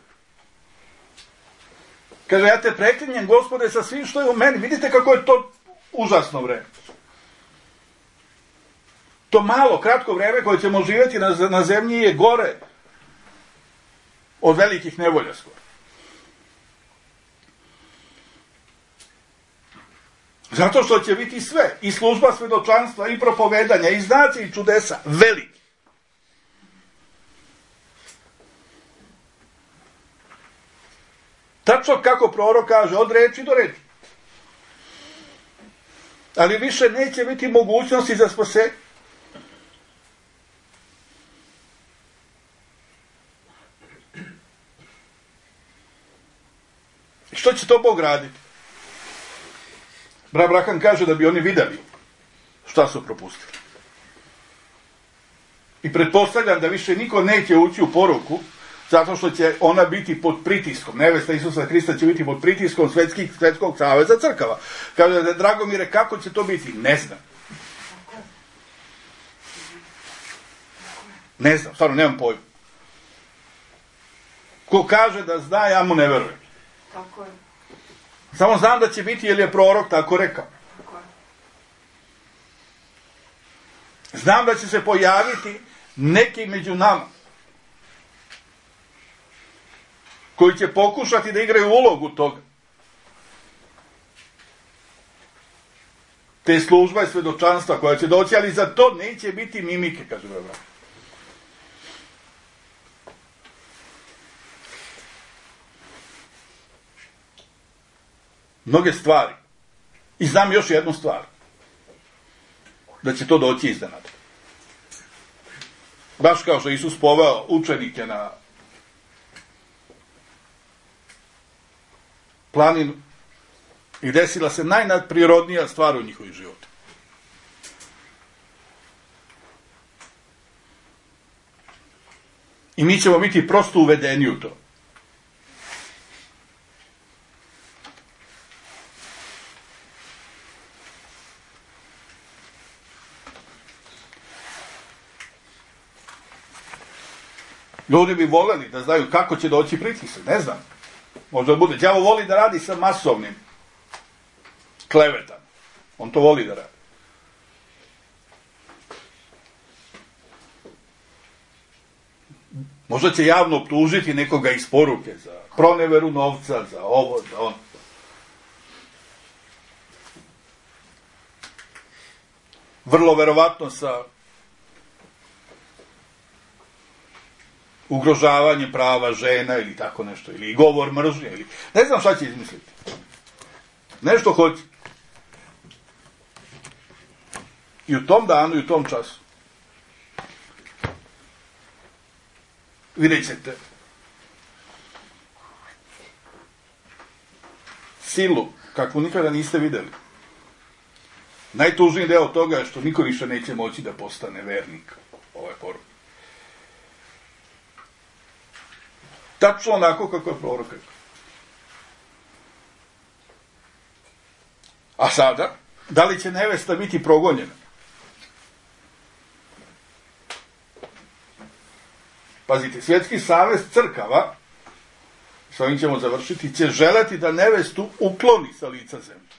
Kaže, ja te preklinjem, Gospode, sa svim što je u meni. Vidite kako je to užasno vreme. To malo, kratko vreme koje ćemo živjeti na zemlji je gore od velikih nevolja skoro. Zato što će biti sve, i služba svedočanstva, i propovedanja, i znaci, i čudesa, veliki. Tačno kako prorok kaže, od reči do reči. Ali više neće biti mogućnosti za spasenje. Što će to Bog raditi? Brat Abraham kaže da bi oni vidjeli šta su propustili. I pretpostavljam da više niko neće ući u poruku, zato što će ona biti pod pritiskom. Nevesta Isusa Hrista će biti pod pritiskom Svetskog saveza crkava. Kaže da, Dragomire, kako će to biti? Ne znam. Ne znam, stvarno nemam pojma. Ko kaže da zna, ja mu ne verujem. Tako je. Samo znam da će biti, jer je prorok tako rekao. Tako je. Znam da će se pojaviti neki među nama koji će pokušati da igraju ulogu toga. Te služba i svedočanstva koja će doći, ali za to neće biti mimike, kaže brat. Mnoge stvari. I znam još jednu stvar. Da će to doći iznenada. Baš kao što je Isus poveo učenike na planinu i desila se najnadprirodnija stvar u njihovim životu. I mi ćemo biti prosto uvedeni u to. Ljudi bi voljeli da znaju kako će doći pritisak, ne znam. Možda bude. Đavo voli da radi sa masovnim klevetama. On to voli da radi. Možda će javno optužiti nekoga iz poruke za proneveru novca, za ovo, za ono. Vrlo verovatno sa ugrožavanje prava žena ili tako nešto, ili govor mržnje, ili ne znam šta će izmisliti. Nešto hoće. I u tom danu, i u tom času vidjet ćete silu kakvu nikada niste vidjeli. Najtužniji deo toga je što niko više neće moći da postane vernik ove poruke. Tačno onako kako je prorok rekao. A sada, da li će nevesta biti progonjena? Pazite, Svjetski savez crkava, s ovim ćemo završiti, će želeti da nevestu ukloni sa lica zemlje.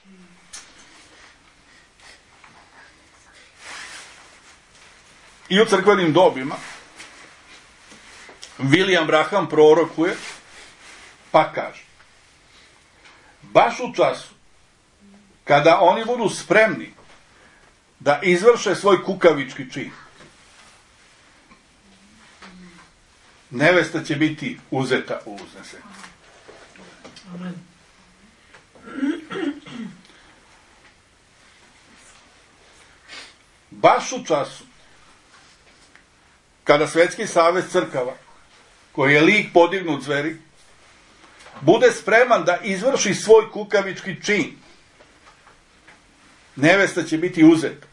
I u crkvenim dobima William Branham prorokuje, pa kaže, baš u času kada oni budu spremni da izvrše svoj kukavički čin, nevesta će biti uzeta u uznesenje. Baš u času kada Svetski savez crkava, koji je lik podignut zveri, bude spreman da izvrši svoj kukavički čin, nevesta će biti uzeta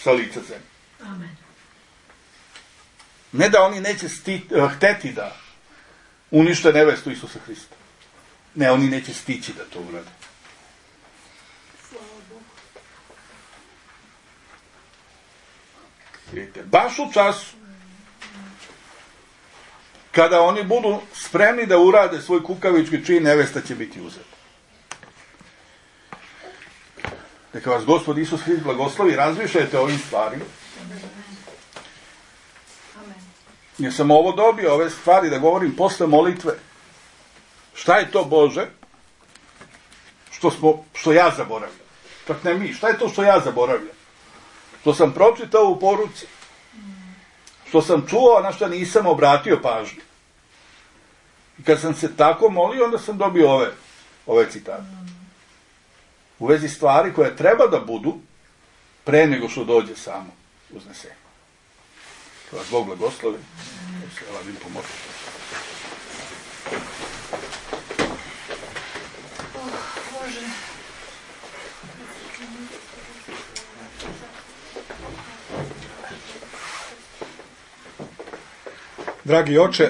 sa lica zemlje. Amen. Ne da oni neće hteti da unište nevestu Isusa Hrista. Ne, oni neće stići da to urade. Vidite, baš u času kada oni budu spremni da urade svoj kukavički čin, nevesta će biti uzeta. Neka vas Gospod Isus Hrist blagoslovi, razmišljajte o ovim stvarima. Jer sam ovo dobio, ove stvari, da govorim posle molitve. Šta je to, Bože, što ja zaboravljam? Čak ne mi, šta je to što ja zaboravljam? Što sam pročitao u poruci? Što sam čuo, a na što nisam obratio pažnju? I kad sam se tako molio, onda sam dobio ove citate. U vezi stvari koje treba da budu pre nego što dođe samo uznesenje. Da vas Bog blagoslovi. Da se Elavim pomoći. Bože. Dragi oče,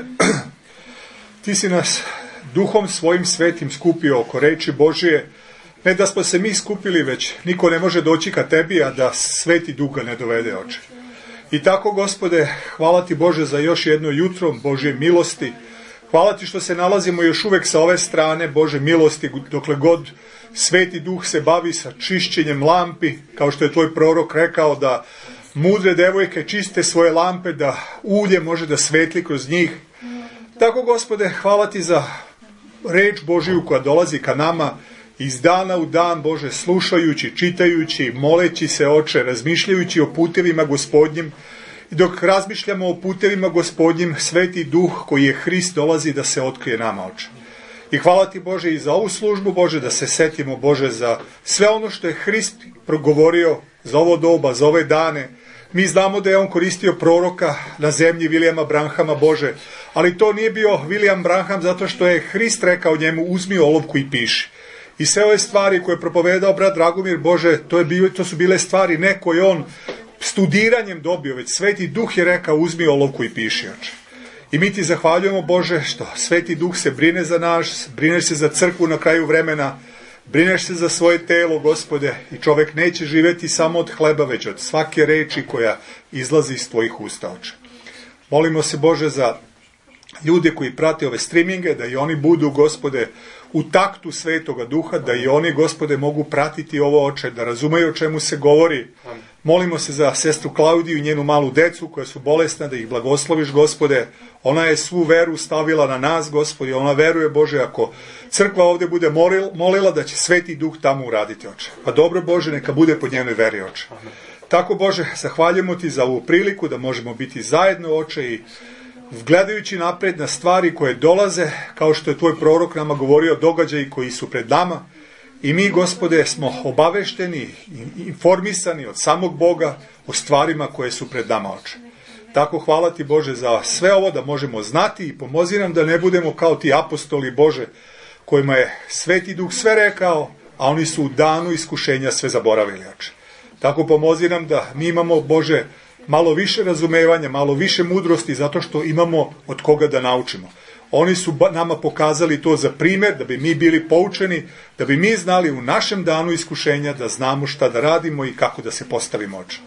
ti si nas duhom svojim svetim skupio oko reči Božije. Ne da smo se mi skupili, već niko ne može doći ka tebi, a da sveti duh ga ne dovede, oče. I tako, Gospode, hvala ti, Bože, za još jedno jutro Božje milosti. Hvala ti što se nalazimo još uvek sa ove strane Bože milosti, dokle god sveti duh se bavi sa čišćenjem lampi, kao što je tvoj prorok rekao da mudre devojke čiste svoje lampe, da ulje može da svetli kroz njih. Tako, Gospode, hvala ti za reč Božiju koja dolazi ka nama iz dana u dan, Bože, slušajući, čitajući, moleći se, oče, razmišljajući o putevima Gospodnjim. I dok razmišljamo o putevima Gospodnjim, sveti duh koji je Hrist dolazi da se otkrije nama, oče. I hvala ti, Bože, i za ovu službu, Bože, da se setimo, Bože, za sve ono što je Hrist progovorio za ovo doba, za ove dane. Mi znamo da je on koristio proroka na zemlji Vilijama Branhama, Bože, ali to nije bio Vilijam Branham zato što je Hrist rekao njemu uzmi olovku i piši. I sve ove stvari koje je propovedao brat Dragomir, Bože, to su bile stvari ne koje on studiranjem dobio, već sveti duh je rekao uzmi olovku i piši, oče. I mi ti zahvaljujemo, Bože, što sveti duh se brine za nas, brineš se za crkvu na kraju vremena, brineš se za svoje telo, Gospode, i čovek neće živjeti samo od hleba, već od svake reči koja izlazi iz tvojih usta, oče. Molimo se, Bože, za ljude koji prate ove streaminge, da i oni budu, Gospode, u taktu svetoga duha, da i oni, Gospode, mogu pratiti ovo, oče, da razumeju o čemu se govori. Molimo se za sestru Klaudiju i njenu malu decu koja su bolesna, da ih blagosloviš, Gospode. Ona je svu veru stavila na nas, Gospode. Ona veruje, Bože, ako crkva ovdje bude molila da će sveti duh tamo uraditi, oče. Pa dobro, Bože, neka bude po njenoj veri, oče. Tako, Bože, zahvaljujemo ti za ovu priliku da možemo biti zajedno, oče, i gledajući napred na stvari koje dolaze, kao što je tvoj prorok nama govorio, događaji koji su pred nama. I mi, Gospode, smo obavešteni, informisani od samog Boga o stvarima koje su pred nama, oče. Tako hvala ti, Bože, za sve ovo da možemo znati i pomozi nam da ne budemo kao ti apostoli, Bože, kojima je sveti duh sve rekao, a oni su u danu iskušenja sve zaboravili, oče. Tako pomozi nam da mi imamo, Bože, malo više razumevanja, malo više mudrosti, zato što imamo od koga da naučimo. Oni su nama pokazali to za primjer, da bi mi bili poučeni, da bi mi znali u našem danu iskušenja da znamo šta da radimo i kako da se postavimo, oče.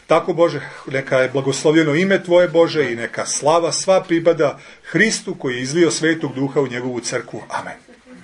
Tako, Bože, neka je blagoslovljeno ime tvoje, Bože, i neka slava sva pripada Hristu koji je izlio svetog duha u njegovu crkvu. Amen.